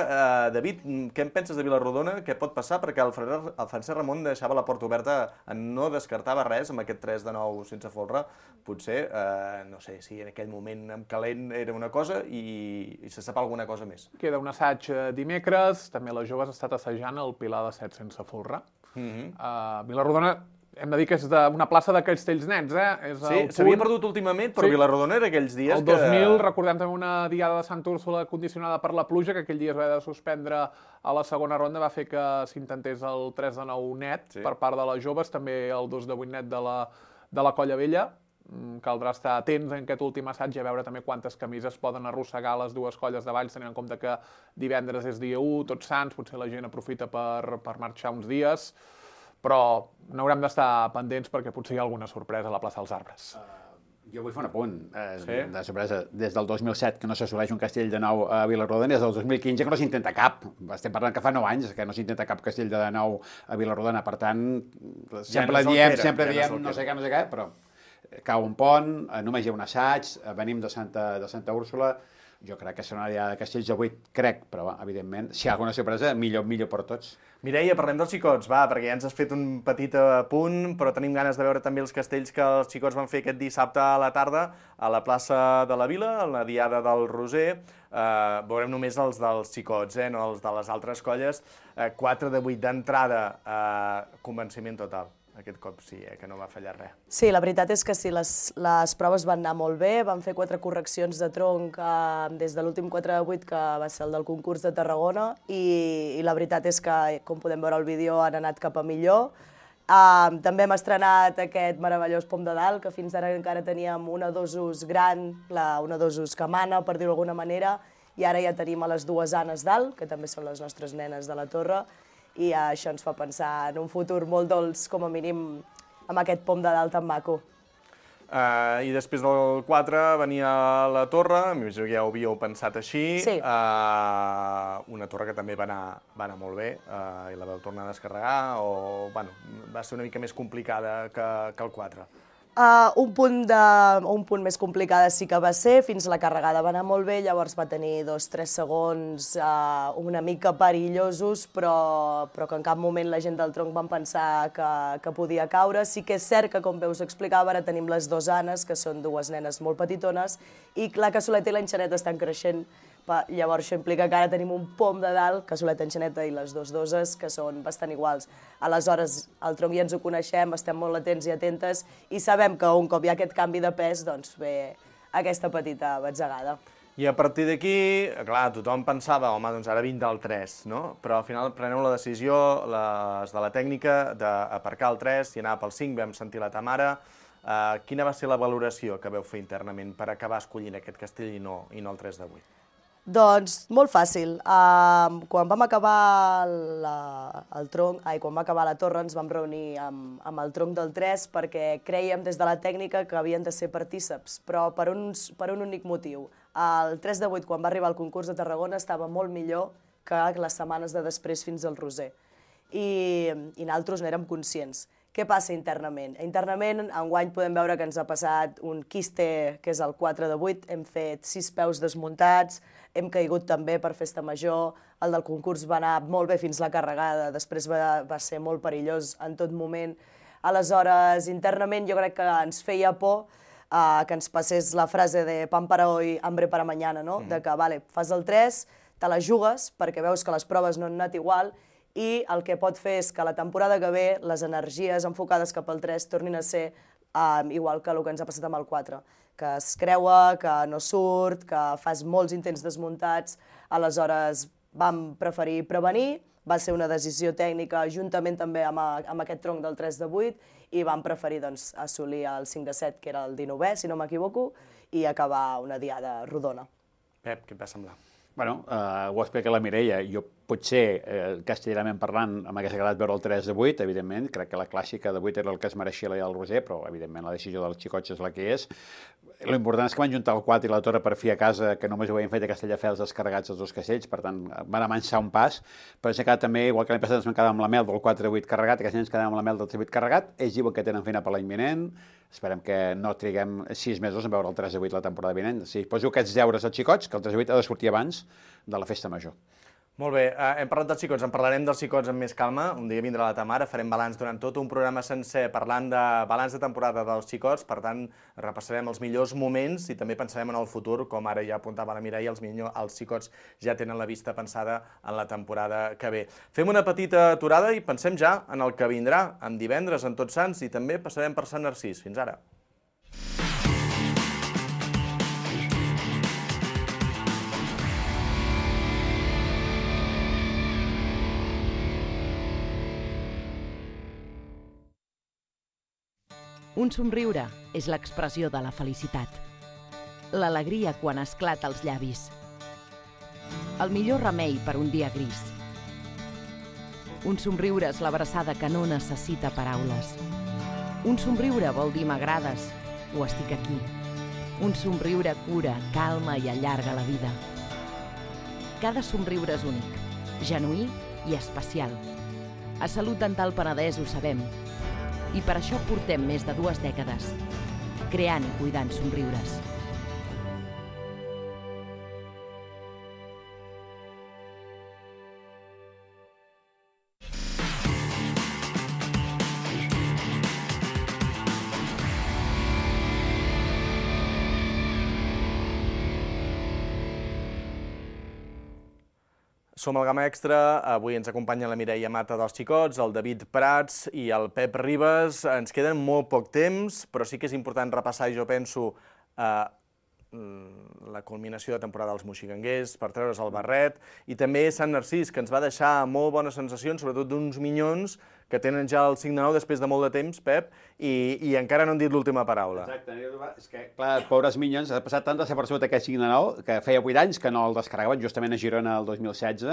David, què en penses de Vilarrodona? Què pot passar? Perquè el Francesc Ramon deixava la porta oberta, no descartava res amb aquest 3-9 sense folre. Potser, no sé, si en aquell moment amb calent era una cosa i se sap alguna cosa més. Queda un assaig dimecres, també les joves ha estat assajant el Pilar de 7 sense folre. Vilarrodona, hem de dir que és una plaça de Castells Nets, Sí, s'havia perdut últimament, però Vilarrodona era aquells dies que... El 2000, recordem també una diada de Santa Úrsula condicionada per la pluja, que aquell dia es va haver de suspendre a la segona ronda, va fer que s'intentés el 3-9 net per part de les joves, també el 2-8 net de la Colla Vella. Caldrà estar atents en aquest últim assaig i a veure també quantes camises poden arrossegar les dues colles de Valls, tenint en compte que divendres és dia 1, Tots Sants, potser la gent aprofita per marxar uns dies, però n'haurem d'estar pendents perquè potser hi ha alguna sorpresa a la plaça dels Arbres. Jo vull fer un apunt de sorpresa. Des del 2007 que no s'assoleix un castell de nou a Vilarrodona, des del 2015 que no s'intenta cap. Estem parlant que fa 9 anys que no s'intenta cap castell de nou a Vilarrodona. Per tant, sempre diem no sé què, però cau un pont, només hi ha un assaig, venim de Santa Úrsula. Jo crec que serà una diada de castells de 8, crec, però evidentment, si hi ha alguna sorpresa, millor per tots. Mireia, parlem dels xicots, va, perquè ja ens has fet un petit apunt, però tenim ganes de veure també els castells que els xicots van fer aquest dissabte a la tarda a la plaça de la Vila, a la diada del Roser. Veurem només els dels xicots, no els de les altres colles. 4 de 8 d'entrada, convenciment total. Aquest cop sí, que no va fallar res. Sí, la veritat és que sí, les proves van anar molt bé, van fer 4 correccions de tronc des de l'últim 4 de 8, que va ser el del concurs de Tarragona, i la veritat és que, com podem veure al vídeo, han anat cap a millor. També hem estrenat aquest meravellós pom de dalt, que fins ara encara teníem una dosus gran, una dosus que mana, per dir-ho d'alguna manera, i ara ja tenim a les dues Anes dalt, que també són les nostres nenes de la torre, i això ens fa pensar en un futur molt dolç, com a mínim, amb aquest pom de dalt tan maco. I després del 4 venia la torre, m'imagino que ja ho havíeu pensat així. Sí. Una torre que també va anar molt bé, i la vau tornar a descarregar, o va ser una mica més complicada que el 4? Un punt més complicada sí que va ser, fins la carregada va anar molt bé, llavors va tenir 2-3 segons una mica perillosos, però que en cap moment la gent del tronc van pensar que podia caure. Sí que és cert que, com bé us explicava, ara tenim les dues Anes, que són dues nenes molt petitones, i la Cassoleta i l'Enxaneta estan creixent. Llavors això implica que ara tenim un pom de dalt, Cassoleta, Enxaneta i les dues doses, que són bastant iguals. Aleshores, al tronc ja ens ho coneixem, estem molt atents i atentes, i sabem que un cop hi ha aquest canvi de pes, doncs ve aquesta petita batzegada. I a partir d'aquí, clar, tothom pensava, home, doncs ara vinc del 3, no? Però al final preneu la decisió, les de la tècnica, d'aparcar el 3 i anar pel 5, vam sentir la Tamara. Quina va ser la valoració que vau fer internament per acabar escollint aquest castell i no el 3 de 8? Doncs molt fàcil. Quan vam acabar quan va acabar la torre ens vam reunir amb el tronc del 3 perquè crèiem des de la tècnica que havien de ser partíceps, però per un únic motiu. El 3 de 8, quan va arribar al concurs de Tarragona, estava molt millor que les setmanes de després fins al Roser. I nosaltres n'érem conscients. Què passa internament? Internament, enguany podem veure que ens ha passat un quiste, que és el 4 de 8, hem fet 6 peus desmuntats, hem caigut també per festa major, el del concurs va anar molt bé fins la carregada, després va ser molt perillós en tot moment. Aleshores, internament jo crec que ens feia por que ens passés la frase de pan para hoy, hambre para mañana, no? De que, vale, fas el 3, te la jugues perquè veus que les proves no han anat igual, i el que pot fer és que la temporada que ve les energies enfocades cap al 3 tornin a ser igual que el que ens ha passat amb el 4, que es creua, que no surt, que fas molts intents desmuntats. Aleshores vam preferir prevenir, va ser una decisió tècnica juntament també amb aquest tronc del 3 de 8, i vam preferir assolir el 5 de 7, que era el 19è, si no m'equivoco, i acabar una diada rodona. Pep, què et va semblar? Bueno, ho explica la Mireia. Jo potser, castellanament parlant, m'hagués agradat veure el 3 de 8, evidentment, crec que la clàssica de 8 era el que es mereixia el Roser, però, evidentment, la decisió dels xicots és la que és. L'important és que van juntar el 4 i la Torre per fi a casa, que només ho havien fet a Castelldefels descarregats els dos castells, per tant, van avançar un pas, però ens quedat també, igual que l'any passat ens vam quedar amb la mel del 4-8 carregat, aquest any ens quedem amb la mel del 3-8 carregat, ells diuen que tenen feina per l'any vinent, esperem que no triguem 6 mesos en veure el 3-8 la temporada vinent. Si poso aquests deures als xicots, que el 3-8 ha de sortir abans de la festa major. Molt bé, hem parlat dels xicots, en parlarem dels xicots amb més calma, un dia vindrà la Tamara, farem balanç durant tot un programa sencer parlant de balanç de temporada dels xicots, per tant repassarem els millors moments i també pensarem en el futur, com ara ja apuntava la Mireia, els xicots ja tenen la vista pensada en la temporada que ve. Fem una petita aturada i pensem ja en el que vindrà, en divendres, en Tots Sants, i també passarem per Sant Narcís. Fins ara. Un somriure és l'expressió de la felicitat. L'alegria quan esclata als llavis. El millor remei per un dia gris. Un somriure és l'abraçada que no necessita paraules. Un somriure vol dir m'agrades o estic aquí. Un somriure cura, calma i allarga la vida. Cada somriure és únic, genuí i especial. A Salut Dental Penedès ho sabem. I per això portem més de 2 dècades, creant i cuidant somriures. Som al Gamma Extra, avui ens acompanya la Mireia Mata dels xicots, el David Prats i el Pep Ribas. Ens queden molt poc temps, però sí que és important repassar, jo penso, la culminació de temporada dels moxiganguers, per treure's el barret, i també Sant Narcís, que ens va deixar molt bones sensacions, sobretot d'uns minyons que tenen ja el 5 de 9 després de molt de temps, Pep, i encara no han dit l'última paraula. Exacte, és que, clar, pobres minyons, ha passat tant desapercebut aquest 5 de 9, que feia 8 anys que no el descarregaven, justament a Girona el 2016,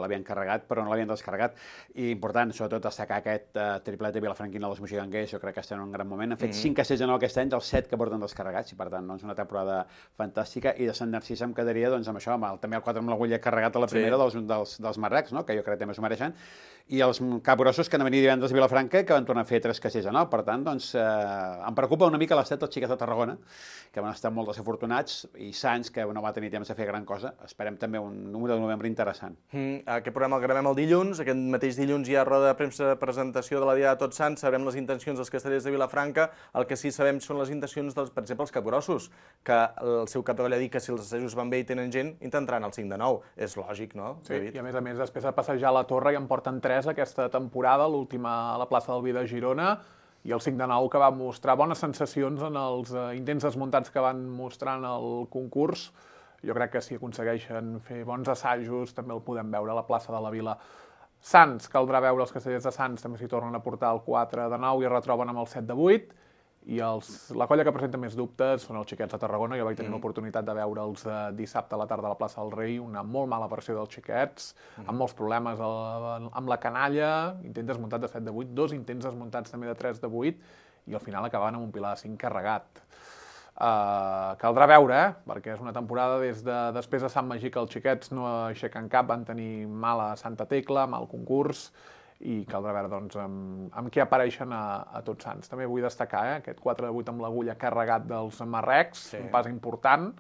l'havien carregat, però no l'havien descarregat, i important, sobretot, destacar aquest triplet de Vilafranquina dels moxiganguers, jo crec que estan en un gran moment. Han fet 5 castells de 9 aquest any, dels 7 que porten descarregats, i per tant, doncs, una temporada fantàstica, i de Sant Narcís em quedaria, doncs, amb això, també el 4 amb l'agulla carregat a la primera dels marrecs, no?, que jo crec que també s'ho mereixen, i els capgrossos que han de venir divendres a Vilafranca, que van tornar a fer 3 castells de 9. Per tant, doncs, em preocupa una mica l'estat dels xiquets de Tarragona, que van estar molt desafortunats, i Sants, que no va tenir temps de fer gran cosa. Esperem també un número de novembre interessant. Aquest programa el gravem el dilluns, aquest mateix dilluns hi ha roda de premsa de presentació de la Diada de Tots Sants, sabrem les intencions dels castellers de Vilafranca, el que sí sabem són les intencions, per exemple, els capgrossos, que el seu cap de colla ha dit que si els assajos van bé i tenen gent, intentaran el 5 de 9. És lògic, no, David? Sí, i a més, després de passejar la Torre ja en porten 3 aquesta temporada, l'última a la plaça del Vi de Girona, i el 5 de 9 que va mostrar bones sensacions en els intents desmuntats que van mostrar en el concurs. Jo crec que si aconsegueixen fer bons assajos també el podem veure a la plaça de la Vila. Sants, caldrà veure els castellers de Sants, també s'hi tornen a portar el 4 de 9 i retroben amb el 7 de 8. I la colla que presenta més dubtes són els xiquets de Tarragona. Jo vaig tenir l'oportunitat de veure'ls dissabte a la tarda a la plaça del Rei, una molt mala versió dels xiquets, amb molts problemes amb la canalla, intent desmuntat de 7 de 8, 2 intents desmuntats també de 3 de 8, i al final acabaven amb un pilar de 5 carregat. Caldrà veure, perquè és una temporada després de Sant Magí que els xiquets no aixequen cap, van tenir mala Santa Tecla, mal concurs, i caldrà veure doncs, amb què apareixen a Tots Sants. També vull destacar aquest 4 de 8 amb l'agulla carregat dels marrecs, un pas important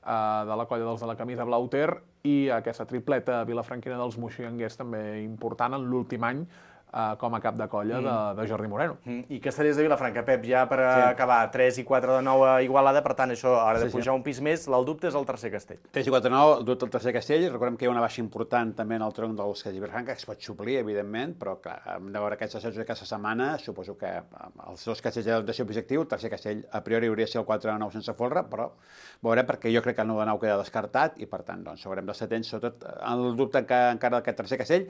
de la colla dels de la camisa blau ter, i aquesta tripleta vilafranquina dels moxiganguers també important en l'últim any com a cap de colla de Jordi Moreno. I castellers de Vilafranca, Pep, ja per acabar, 3 i 4 de 9 a Igualada, per tant, això haurà de pujar un pis més, el dubte és el tercer castell. 3 i 4 de 9, el dubte el tercer castell, recordem que hi ha una baixa important també en el tronc dels castellers de Vilafranca, que es pot suplir, evidentment, però clar, hem de veure aquests assajos d'aquesta setmana, suposo que els dos castells de ser objectiu, el tercer castell a priori hauria de ser el 4 de 9 sense folre, però veurem, perquè jo crec que el 9 de 9 queda descartat, i per tant, doncs, haurem d'estar atents, sobretot el dubte encara d'aquest tercer castell.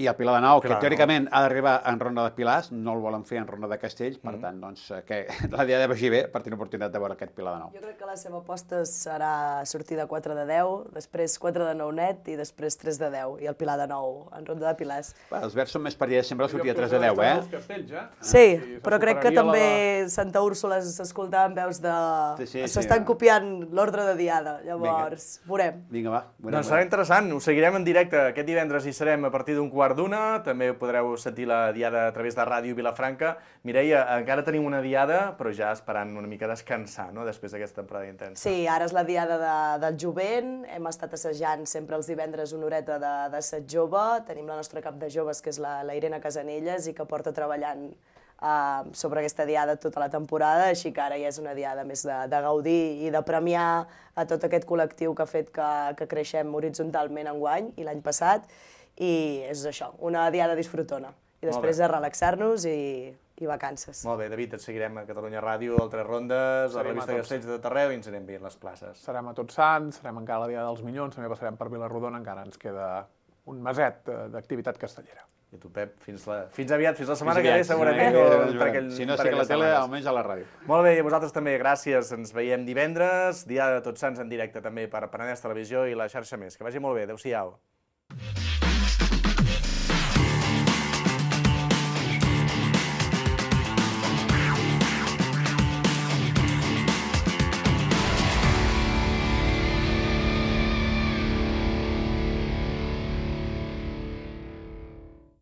I el Pilar de Nou, que teòricament ha d'arribar en ronda de Pilars, no el volen fer en ronda de Castells, per tant, doncs, que la Diada vagi bé per tenir oportunitat de veure aquest Pilar de Nou. Jo crec que la seva aposta serà sortir de 4 de 10, després 4 de 9 net i després 3 de 10, i el Pilar de Nou en ronda de Pilars. Els verds són més perillosos, sempre la sortida 3 de 10, Sí, però crec que també Santa Úrsula s'escoltaven veus de... S'estan copiant l'ordre de Diada, llavors veurem. Vinga, va. Doncs serà interessant, ho seguirem en directe. Aquest divendres hi serem a partir d'un 1:15, també podreu sentir la Diada a través de Ràdio Vilafranca. Mireia, encara tenim una Diada, però ja esperant una mica descansar, no?, després d'aquesta temporada intensa. Sí, ara és la Diada del jovent, hem estat assajant sempre els divendres una horeta d'assaig jove, tenim la nostra cap de joves, que és la Irene Casanelles, i que porta treballant sobre aquesta Diada tota la temporada, així que ara ja és una Diada més de gaudir i de premiar a tot aquest col·lectiu que ha fet que creixem horitzontalment enguany i l'any passat, i és això, una Diada disfrutona. I després de relaxar-nos i vacances. Molt bé, David, et seguirem a Catalunya Ràdio, al Tres Rondes, a la revista Castells de tot arreu, i ens anirem veient les places. Serem a Tots Sants, serem encara a la Diada dels Minyons, també passarem per Vilarrodona, encara ens queda un meset d'activitat castellera. I tu, Pep, fins aviat, fins la setmana que ve, segurament. Si no, sí que la tele, almenys a la ràdio. Molt bé, i a vosaltres també, gràcies. Ens veiem divendres, Diada de Tots Sants en directe també per Penedès Televisió i la xarxa més. Que vagi molt bé, adéu-siau.